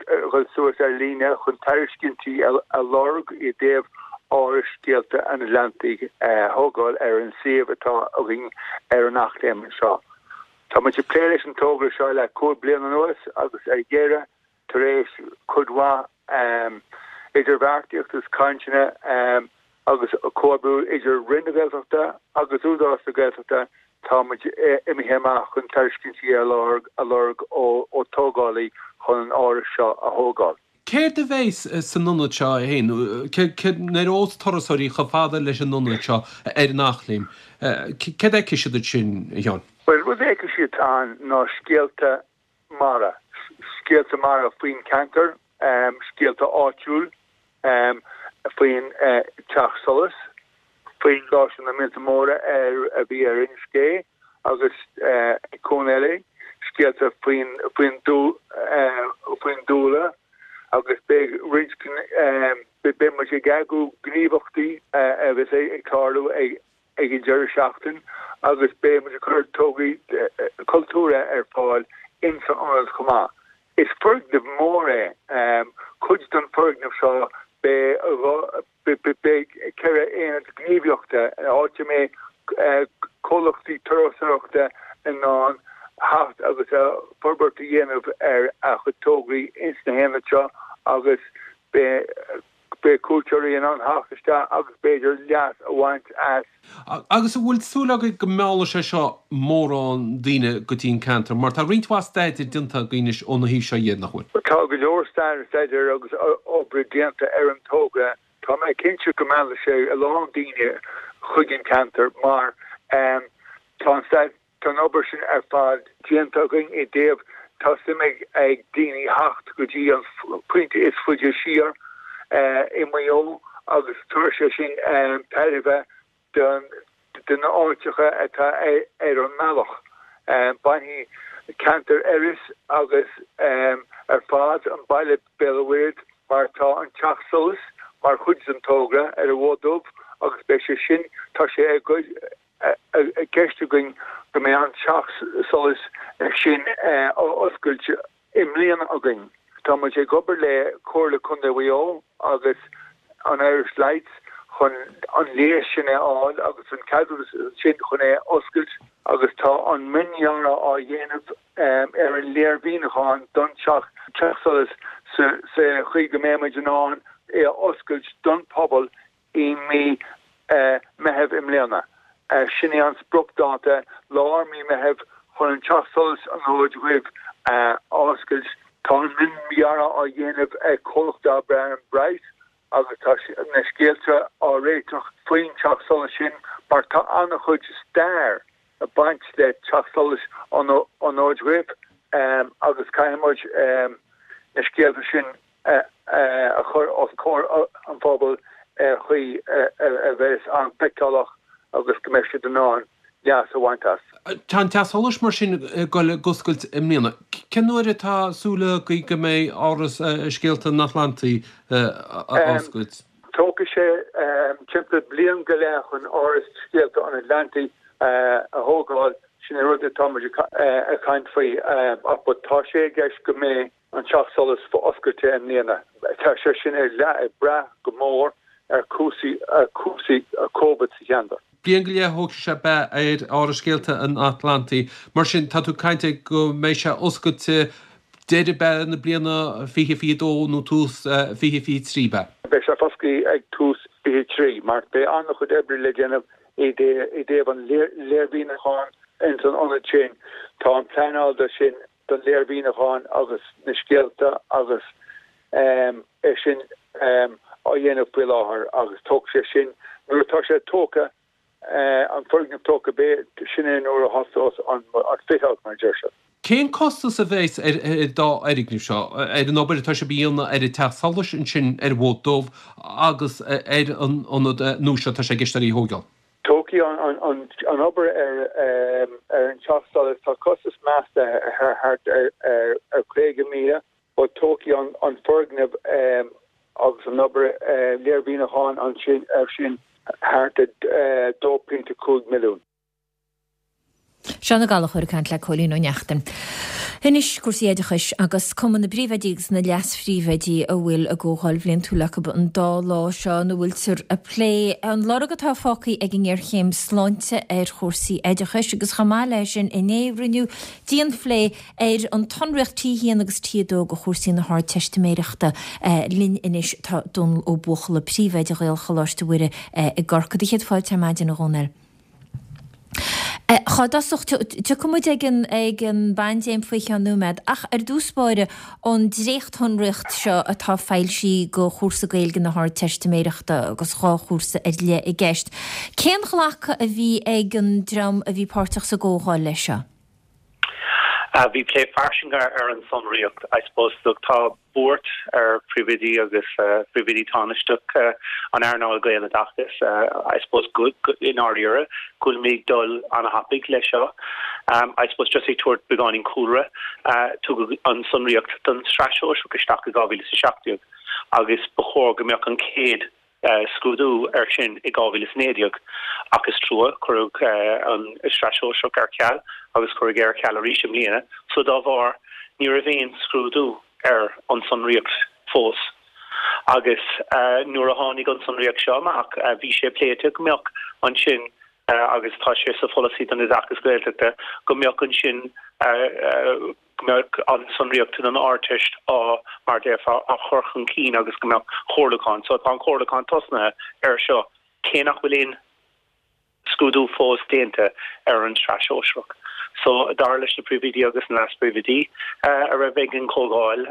suas ar líne chun tairiscintí a lorg i dtaobh Áras Scéalta an Atlantaigh a thógáil ar an suíomh atá againn ar an Eachléim anseo. Tá muid ag plé leis an togra seo le cúig bliana anuas agus ar dheireadh, tar éis cuid mhaith idirbheartaíocht agus cainteanna agus comhoibriú idir Roinn na Gaeltachta agus Údarás na Gaeltachta, tá muid imithe amach chun tairiscintí a lorg ó tógálaí chun an áras seo a thógáil.
Céard a bheas san ionad seo é féin? Nuair a ghabhfas turasóirí chomh fada leis an ionad seo ar an Eachléim, céard a fheicfidh siad ansin, a Sheáin?
Bhuel, rud a fheicfidh siad ann ná scéalta mara, scéalta mara faoin cheantar, scéalta áitiúil faoin Teach Solais, faoin Stáisiún na Míolta Móra a bhí ar Inis Gé agus ag Cuan Eile, scéalta faoin faoin dúlra agus beidh roinnt beidh muid ag eagrú gníomhachtaí a bheas ag tarlú ag ag an deireadh seachtain agus beidh muid ag cur tograí cultúrtha ar fáil ins an ionad chomh maith. Is foirgneamh mór é. Cuid den foirgneamh seo beidh Beidh 4 aonad gníomhaíochta, áit a mbeidh comhlachtaí turasóireachta in ann theacht agus forbairt a dhéanamh ar a chuid tograí ins na haonaid seo agus beidh cuairteoirí in ann theacht isteach agus b'fhéidir leas a bhaint as.
Agus an bhfuil súil agaibh go meallfaidh sé seo mórán daoine go dtí an ceantar? Mar tá roinnt mhaith staidéir déanta againn anois óna thaobh seo dhe, nach bhfuil?
Tá go leor staidéir agus oibre déanta ar an togra. Tá mé cinnte go meallfaidh sé a lán daoine chuig an ceantar mar tá an Tá an obair sin ar fad déanta againn i dtaobh tá suim ag daoine theacht go dtí an pointe is faide siar i Maigh Eo agus tabharfaidh sé sin tairbhe do na áiteacha atá ar an mbealach. Bainfidh ceantar Iorrais agus ar fad an baile Béal an Mhuirthead mar tá an Teach Solais mar chuid den togra ar an Bhóth Dubh agus beidh sé sin, tá sé i i gceist againn go mbeidh an teach solais sin á oscailt i mbliana againn. Tá muid ag obair le Comhairle Contae Mhaigh Eo agus an Irish Lights chun an léas sin a fháil agus an ceadúnas sin chun é a oscailt agus tá an miondhearadh á dhéanamh ar an léirmhíniúchán don teach solais sa chaoi go mbeidh muid in ann é a oscailt don phobal i mí Meitheamh i mbliana. Sin é an spriocdháta, lár mí Meitheamh, chun an Teach Solais an Fhóid Dhuibh a oscailt. Tá an miondhearadh á dhéanamh ag comhlacht darb ainm Bright agus tá na scéalta á réiteach faoin teach solais sin mar tá an-chuid stair ag baint le Teach Solais an Fhóid Dhuibh agus caithfidh muid na scéalta sin a chur os comhair an phobail ar chaoi a bheas an-fheiceálach agus go mbeidh siad in ann leas a bhaint as.
Tá an Teach Solais mar sin ag dul ag oscailt i mbliana. Cén uair atá súil agaibh go mbeidh Áras Scéalta an Atlantaigh á oscailt?
Tógfaidh sé timpeall bliain go leith chun Áras Scéalta an Atlantaigh a thógáil, sin é rud atá muid ag caint faoi ach tá sé i gceist go mbeidh an Teach Solais oscailte i mbliana. Tá sé sin ag brath go mór ar chúrsaí Covid sa cheantar.
Bliain go leith a thógfaidh sé ab ea ar Áras Scéalta an Atlantaigh. Mar sin, tá tú ag caint ar go mbeidh sé oscailte deireadh ab ea na bliana 2022 nó tús 2023 ab ea?
Beidh sé foscailte ag tús 23 mar beidh an-chuid oibre le déanamh i dtaobh an léirmhíniúcháin. ins an ionad sin. Tá an pleanáil do sin, don léirmhíniúchán agus na scéalta agus é sin á dhéanamh faoi láthair agus tógfaidh sé sin, nuair atá sé tógtha, an foirgneamh tógtha, beidh, sin é nuair a thosós an fit-out mar a deir siad.
Cén costas a bheas ar an dá fhoirgneamh seo, ar an obair atá sibh a dhéanamh ar an Teach Solais ansin ar an bhFód Dubh agus ar an ionad nua seo atá sé i gceist agaibh a thóigeáil?
Tógfaidh an obair ar an Teach Solais, tá costas measta ar thart ar 50,000 but tógfaidh an foirgneamh agus an obair léirmhíniúcháin ansin air sin thart ar 2.5 milliún.
Seán Ó Gallchóir ag caint le Cóilín Ó Neachtain. Anois cúrsaí oideachais agus Cumann na bPríomhoidí agus na Leas-Phríomhoidí a bhfuil a gcomhdháil bhliantúil acu an dá lá seo ina bhfuiltear ag plé an lorg atá fágtha ag an ngéarchéim sláinte ar chúrsaí oideachais agus chomh maith leis sin inné rinneadh dianphlé ar an tsonraíocht T1 agus T2 do chúrsaí na hArdteistiméireachta. Linn anois tá Dónal Ó Buachalla, Príomhoide Ghaelcholáiste Mhuire i gCorcaigh. Do chéad fáilte ar maidin, a Dhónaill. Chá dtosach, tiocfaidh muid ag an ag an bpaindéim faoi cheann nóiméad, ach ar dtús báire, an dréachtshonraíocht seo atá foilsithe do chúrsa Gaeilge na hArdteistiméireachta agus 2 chúrsa ar leith i gceist. Cén ghlacadh a bhí ag an dream a bhí páirteach sa gcomhdháil leis seo?
Bhí plé fairsing ar an sonraíocht. I suppose, look, tá buairt ar phríomhoidí agus phríomhoidí tánaisteach an earnáil Gaeloideachais, I suppose, go, i ndáiríre, go bhfuilimid ag dul an-thapaidh leis seo. I suppose, just ag tabhairt beagáinín cúlra, tugadh an sonraíocht don tsraith shóisearach isteach i 2017 agus ba chóir go mbeadh an chéad scrúdú air sin i 2019, ach is trua, cuireadh an tSraith Shóisearach ar ceal agus cuireadh é ar ceal arís i mbliana, so dá bharr ní raibh aon scrúdú ar an sonraíocht fós. Agus nuair a tháinig an tsonraíocht seo amach, bhí sé pléite go mbeadh ansin, agus tá sé sa pholasaí don oideachas Gaeltachta, go mbeadh ansin, go mbeadh an tsonraíocht don Ardteist á, mar a déarfá, á chur chun cinn agus go mbeadh comhairliúchán. So tá an comhairliúchán tosnaithe air seo, cé nach bhfuil aon scrúdú fós déanta ar an tsraith shóisearach. So dar leis na príomhoidí agus na leas-phríomhoidí a raibh ag an chomhdháil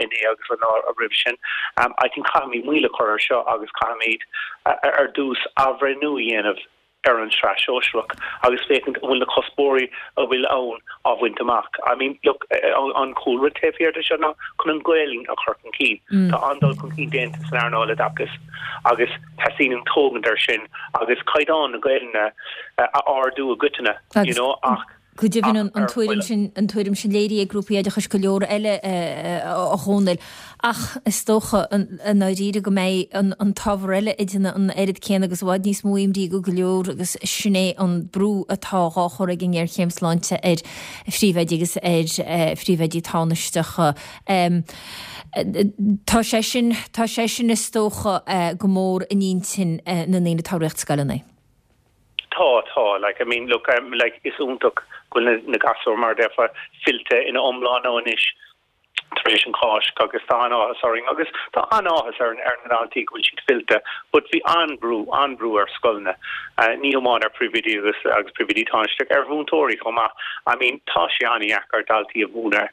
inné agus an lá roimhe sin, I think caithfimid moill a chur air seo agus caithfimid ar dtús athbhreithniú a dhéanamh ar an tsraith shóisearach agus féachaint an bhfuil na cuspóirí a bhfuil ann á bhaint amach. I mean, look, an cúlra taobh thiar de seo ná chun an Ghaelainn a chur chun cinn. Tá an-dul chun cinn déanta san earnáil oideachais agus teastaíonn tógaint air sin agus caighdeán na Gaelainne a ardú i gcoitinne, you know, ach
Go deimhin, an tuairim sin, an tuairim sin léirithe ag grúpaí oideachais go leor eile, a Dhónaill. Ach is dócha, i ndáiríre, go mbeidh an t-ábhar eile ag déanamh an oiread céanna agus i bhfad níos mó imní go go leor agus sin é an brú atá dhá chur ag an ngéarchéim sláinte ar phríomhoidí agus ar phríomhoidí tánaisteacha. Tá sé sin, tá sé sin is dócha go mór in intinn na ndaoine atá ag rith scoileanna.
Tá, tá, like, I mean, look, um, like, is iontach go bhfuil na gasúir, mar a déarfá, fillte ina iomláine anois tar éis an Cháisc agus tá an-áthas orainn agus tá an-áthas ar ar na daltaí go bhfuil siad fillte but bhí an-brú, an-brú ar scoileanna, ní hamháin ar phríomhoidí agus agus príomhoidí tánaisteach, ar mhúinteoirí chomh maith. I mean, tá sé an-dheacair daltaí a mhúineadh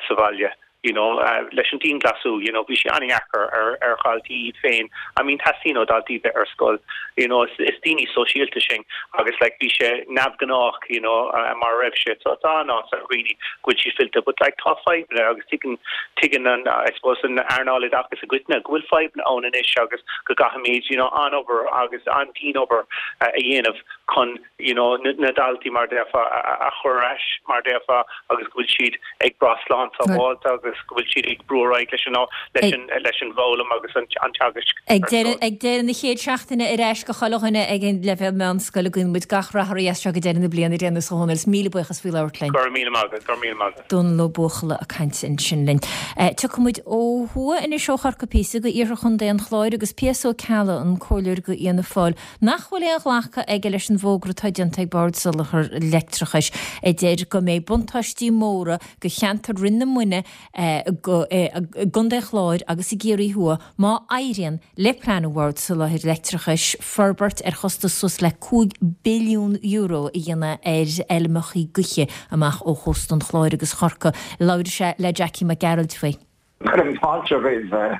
sa bhaile. you know, leis an dianghlasú, you know, bhí sé an-dheacair ar, ar dhaltaí iad féin, I mean, teastaíonn ó dhaltaí bheith ar scoil, you know, is, is daoine sóisialta sinn agus like bhí sé neamhghnách, you know, mar a raibh sé, so tá an-áthas ar dhaoine go bhfuil siad fillte, but like tá fadhbanna agus tuigeann, tuigeann an, I suppose, an earnáil oideachais i gcoitinne go bhfuil fadhbanna ann anois agus go gcaithfimid, you know, an-obair agus an-dian-obair a dhéanamh chun you know, na daltaí, mar a déarfá, a chur ar ais, mar a déarfá, agus go bhfuil siad ag brath slán sábháilte agus go bhfuil siad ag brú ar aghaidh leis an, leis an, leis an bhfoghlaim agus an teagaisc
Ag deireadh, ag deireadh na chéad seachtaine ar ais go chuile dhuine ag an leibhéal meánscoile, guíonn muid gach rath oraibh as seo go deireadh na bliana ar aon nós a Dhónaill, is míle buíochas faoi labhairt linn.
Go raibh míle maith agat, go raibh míle maith agat.
Dónal Ó Buachalla ag caint ansin linn. Tiocfaidh muid ó thuaidh anois ó Chorcaigh píosa go iarthar Chontae an Chláir agus P.S. Ó Ceallaigh, an comhairleoir go Fhianna Fáil, nach bhfuil aon ghlacadh aige leis an bhfógra atá déanta ag Bord Soláthair Leictreachais a deir go mbeidh buntáistí móra go cheantar Rinn na Muine. I gContae an Chláir agus i gCiarraí Thuaidh má éiríonn le plean an Bhoird Soláthair Leictreachais forbairt ar chostas suas le €5 billiún a dhéanamh ar fheilmeacha gaoithe amach ó chósta an Chláir agus Chorcaí. Labhair sé le Jackie Mac Gearailt faoi.
Cuirim fáilte roimh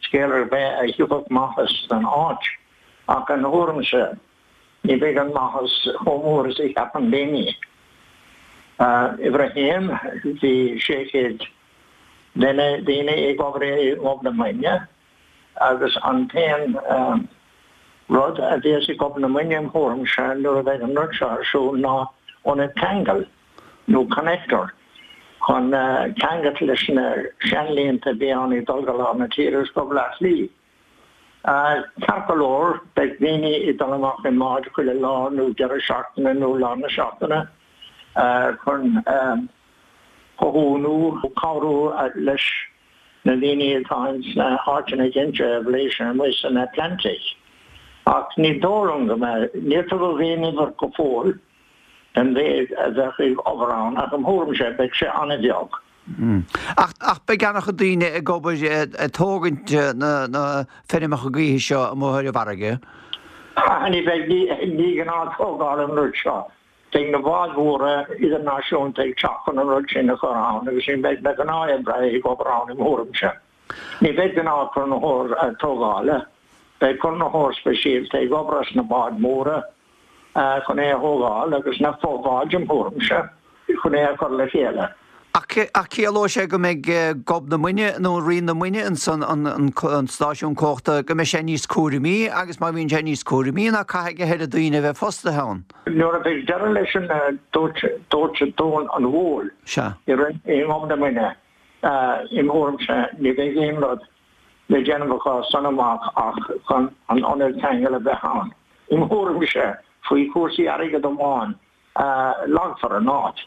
scéal ar bith a thiocfadh maitheas don áit, ach im thuairimse ní bheidh an maitheas chomh mór is a cheapann daoine. Uimhir a haon, bhí 600 duine, daoine ag obair i nGob na Muinne agus an t-aon rud a bheas i nGob na Muinne im thuairimse nuair a bheidh an rud seo ar siúl ná ionad ceangail nó connector chun ceangailt leis na seanlínte a bhí ann ag dul go lár na tíre agus go Baile Átha Cliath. Ceart go leor, beidh daoine ag dul amach i mbáid chuile lá nó deireadh seachtaine nó lár na seachtaine chun cothú nó cabhrú leis na daoine atá ins na háiteanna ginte aibhléise amuigh san Atlantic. Ach ní dóigh liom go mbeidh, níor tugadh aon uimhir go fóill den mhéid a bheadh ag obair ann ach im thuairimse beidh sé an-bheag.
Ach beidh an-chuid daoine ag obair ag tógaint na feirmeacha gaoithe seo amuigh ar an bhfarraige.
Ní bheidh, ní gnáth tógáil an rud seo. Beidh na báid mhóra idirnáisiúnta ag teacht chun an rud sin a chur ann agus ní bheidh na gnáth-oibrithe ag obair ann im thuairimse. Ní bheidh gnáth conraitheoir tógála, beidh conraitheoir speisialta ag obair as na báid mhóra. chun é a thógáil agus na fo-bháid im thuairimse chun é a chur le chéile.
Ach ciallóidh sé go mbeidh Gob na Muinne nó Rinn na Muinne ansan, an stáisiún cumhachta, go mbeidh sé níos cúramaí agus má bhíonn sé níos cúramaí ná caithfidh a thuilleadh daoine a bheith fostaithe ann.
Nuair a bheidh deireadh leis an dóiteán Dún an Bhuail i nGob na Muinne, im thuairimse, ní bheidh aon rud le déanamh acu as san amach ach chun an ionad ceangail a bheith ann. Im thuairimse, faoi chúrsaí airgid amháin a leagfar an áit.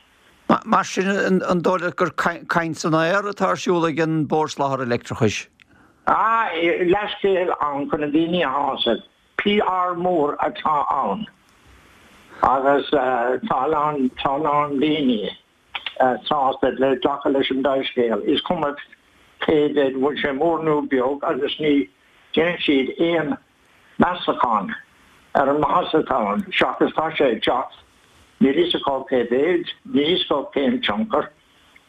Mar sin, an dóigh leat gur caint san aer atá ar siúl ag an Bord Soláthair Leictreachais?
Ah, leathscéal ann chun na daoine a shásamh. PR mór atá ann agus tá a lán, tá a lán daoine. sásta le glacadh leis an dea-scéal, is cuma cé mhéad, bhfuil sé mór nó beag, agus ní dhéanann siad aon meastachán ar an maitheas atá ann, seachas tá sé ag teacht, níl fhios acu cé mhéid, níl fhios acu cén tionchar,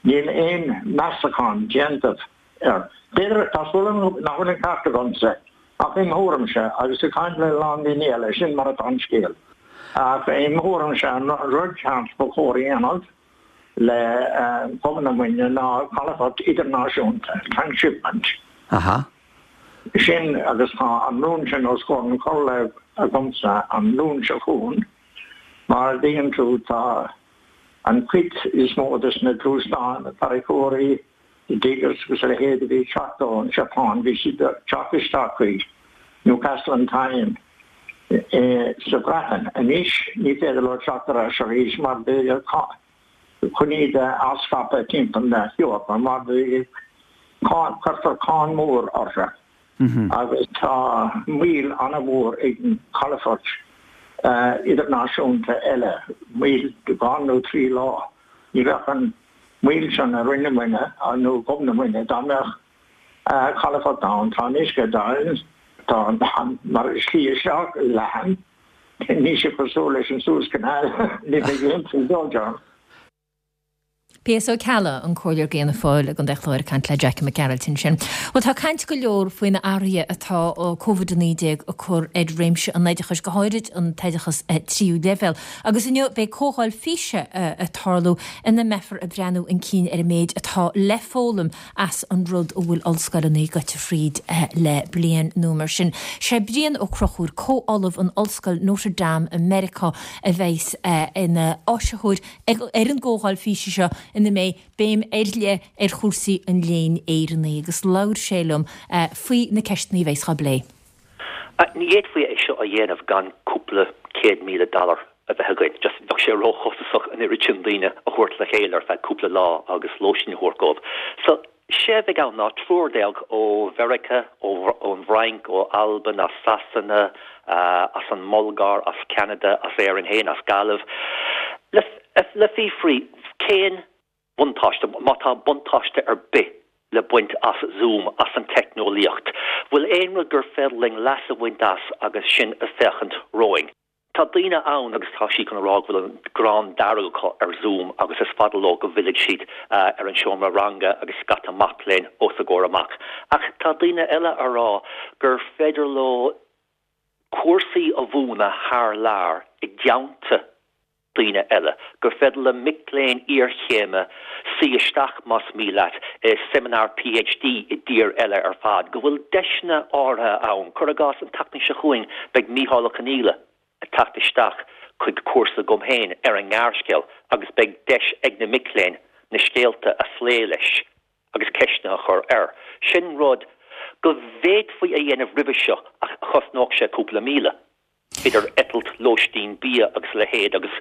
níl aon meastachán déanta air. B'fhéidir, tá súil agam nach bhfuil an ceart agamsa, ach im thuairimse, agus ag caint le a lán daoine eile, sin mar atá an scéal. Ach im thuairimse, an rud ceart ba chóir a dhéanamh le Gob na Muinne ná calafort idirnáisiúnta, transshipment.
Aha.
Sin agus tá an rún sin os comhair an chomhairle agamsa an Luan seo chugainn. Mar a dtuigeann tú, tá an chuid is mó des na gluaisteáin, na tarracóirí, na diggers agus a leithéid a bhí ag teacht ón Seapáin, bhí siad ag teacht isteach chuig Newcastle on Tyne sa Bhreatain. Anois ní féidir leo teacht ar ais arís mar beidh chun iad a athscaipeadh timpeall na hEorpa mar beidh cuirfear cáin mhór orthu agus tá moill an-mhór ag an calafort idirnáisiúnta eile, moill 2 nó 3 lá. Ní bheadh an mhoill sin i Rinn na Muinne nó Gob na Muinne dá mbeadh calafort ann. Tá an uisce domhain, tá an mar slí isteach leathan, níl sé cosúil leis an Suez Canal, ní bheidh aon trioblóid ann.
P.S. Ó Ceallaigh, an Comhairleoir d'Fhianna Fáil i gContae an Chláir ag caint le Jackie Mac Gearailt ansin. Bhuel tá caint go leor faoi na athruithe atá Covid-19 ag cur ar réimse an oideachais, go háirid an t-oideachas tríú leibhéal. Agus inniu beidh comhdháil físe ag tarlú ina mbeifear ag breathnú chun cinn ar an méid atá le foghlaim as an rud a bhfuil ollscoileanna ag goil fríd le bliain nó mar sin. Sé Brian Ó Conchúir, comh-ollamh in Ollscoil Notre Dame i Meiriceá a bheas ina áisitheoir ar an gcomhdháil físe seo ina mbeidh béim ar leith ar chúrsaí an léinn Éireannaigh agus labhair sé liom faoi na ceisteanna a bheas á bplé.
Ní fhéadfaí é seo a dhéanamh gan cúpla 100,000 dollar a bheith againn. Just bheadh sé róchostasach an oiread sin daoine a thabhairt le chéile ar feadh cúpla lá agus lóistín a thabhairt dóibh. So, sé a bheidh ann ná triúr déag ó Mheiriceá, ón bhFrainc, ó Albain, as Sasana, as an mBulgáir, as Ceanada, as Éirinn féin, as Gaillimh, le le fiafraí cén buntáiste, má tá buntáiste ar bith. le baint as Zoom, as an teicneolaíocht? Bhfuil aon rud gur féidir linn leas a bhaint as agus sinn ag féachaint romhainn? Tá daoine ann agus tá siad chun a rá go bhfuil an ghráin dearg acu ar Zoom agus is fada leo go bhfillfidh siad ar an seomra ranga agus scata mac léinn os a gcomhair amach. Ach tá daoine eile a rá gur féidir leo cúrsaí a mhúineadh thar lear i dteannta daoine eile, gur féidir le mic léinn iarchéime suí isteach, más mian leat, i seimineár PhD i dtír eile ar fad, go bhfuil deiseanna áirithe ann. Cuir i gcás, an tseachtain seo chugainn beidh Mícheál Ó Conghaile ag teacht isteach chuig cúrsa agam féin ar an ngearrscéal agus beidh deis ag na mic léinn na scéalta a phlé leis agus ceisteanna a chur air. Sin rud go bhféadfaí a dhéanamh roimhe seo ach chosnódh sé cúpla míle. idir eitilt, lóistín, bia agus a leithéid agus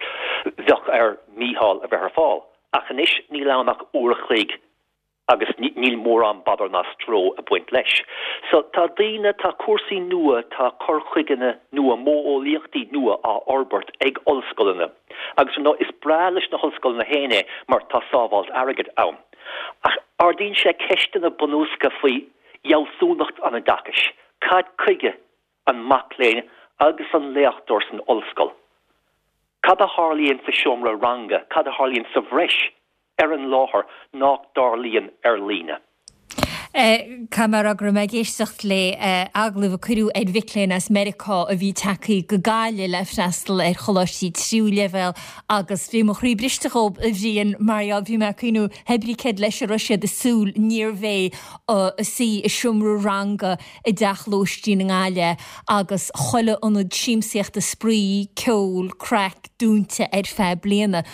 bheadh ar Mhícheál a bheith ar fáil. Ach anois níl ann ach uair a chloig agus níl mórán bodar ná stró ag baint leis. So tá daoine, tá cúrsaí nua, tá cur chuigeanna nua, modheolaíochtaí nua á fhorbairt ag ollscoileanna agus ar ndóigh is breá leis na hollscoileanna féin é mar tá sábháilt airgid ann. Ach ardaíonn sé ceisteanna bunúsacha faoi fhealsúnacht an oideachais. Cad chuige an mac léinn agus an léachtóir san ollscoil. Cad a tharlaíonn sa seomra ranga, cad a tharlaíonn sa bhreis ar an láthair nach dtarlaíonn ar líne?
Caithfidh mé a rá go raibh mé ag éisteacht le agallamh a cuireadh ar mhic léinn as Meiriceá a bhí tagtha go Gaillimh le freastal ar choláistí tríú leibhéal agus bhí mo chroí briste dhóibh, a Bhriain, mar gheall, bhí mé ag cuimhniú, hé brí céard leis a raibh siad ag súil, níorbh é suí i seomra ranga i dteach lóistín i nGaillimh agus chuile ionad siamsaíochta, spraoi, ceol, craic dúnta ar feadh bliana.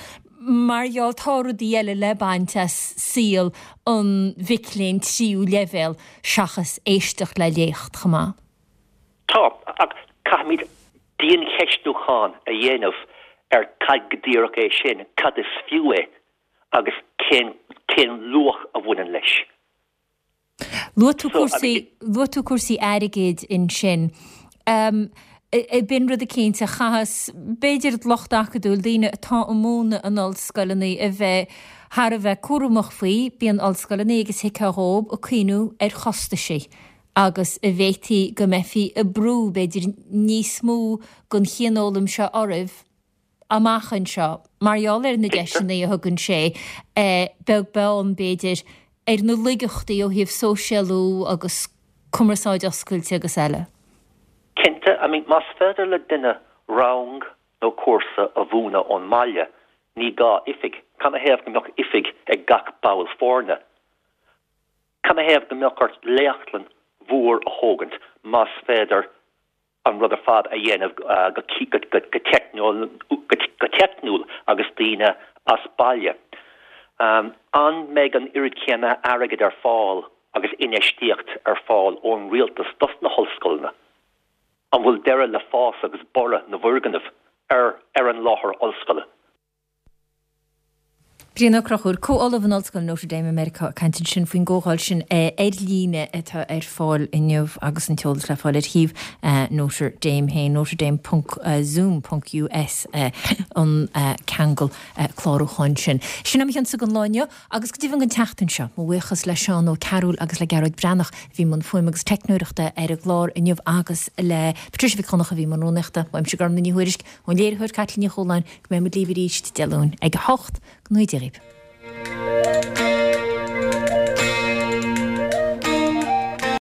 Mar gheall tá rudaí eile le baint as saol an mhic léinn tríú leibhéal seachas éisteacht le léacht chomh maith.
Tá, ach caithfimid diancheistiúchán a dhéanamh ar cad go díreach é sin, cad is fiú é agus cén cén luach a bhaineann leis.
Luaigh tú cúrsaí, luaigh tú cúrsaí airgid ansin. B'in rud eicínt a chaitheas, b'fhéidir, lucht acadúil, daoine atá ag múineadh in ollscoileanna a bheith thar a bheith cúramach faoi. Bíonn ollscoileanna, agus thuigfeá dhóib, ag cuimhniú ar chostaisí agus an bhféadfaí go mbeifí ag brú, b'fhéidir, níos mó den chianfhoghlaim seo oraibh amach anseo, mar gheall ar na deiseanna a thugann sé, beag beann, b'fhéidir, ar na laigeachtaí ó thaobh sóisialú agus cumarsáid oscailte agus eile.
Cinnte, I mean, más féidir le duine rang nó cúrsa a mhúineadh ón mbaile, ní gá oifig. Canathaobh go mbeadh oifig ag gach ball foirne? Canathaobh go mbeadh ort léachtlann mhór a thógaint más féidir an rud ar fad a dhéanamh go teicniúil agus daoine as baile. An mbeidh an oiread céanna airgid ar fáil agus infheistíocht ar fáil ón rialtas dos na hollscoileanna? An bhfuil deireadh le fás agus borradh na bhfoirgneamh ar an láthair ollscoile?
Brian Ó Conchúir, Comh-Ollamh in Ollscoil Notre Dame i Meiriceá ag caint ansin faoin gcomhdháil sin ar líne atá ar fáil inniu agus an t-eolas le fáil ar shuíomh Notre Dame féin, notredame ponc zoom ponc US an ceangal clárúcháin sin. Sin é mo chionsa don lá inniu agus go deimhin don tseachtain seo. Mo bhuíochas le Seán Ó Cearúil agus le Gearóid Breathnach a bhí i mbun fuaime agus teicneoireachta ar an gclár inniu agus le Patricia Mhic Dhonncha a bhí i mbun rúnaíochta. Uaimse Gormlaith Ní Thuairisg, Ón léiritheoir Caitlín Ní Chualáin, go mbeidh muid libh arís Dé Luain ag a 8. Go ngnóthaí Dia dhaoibh.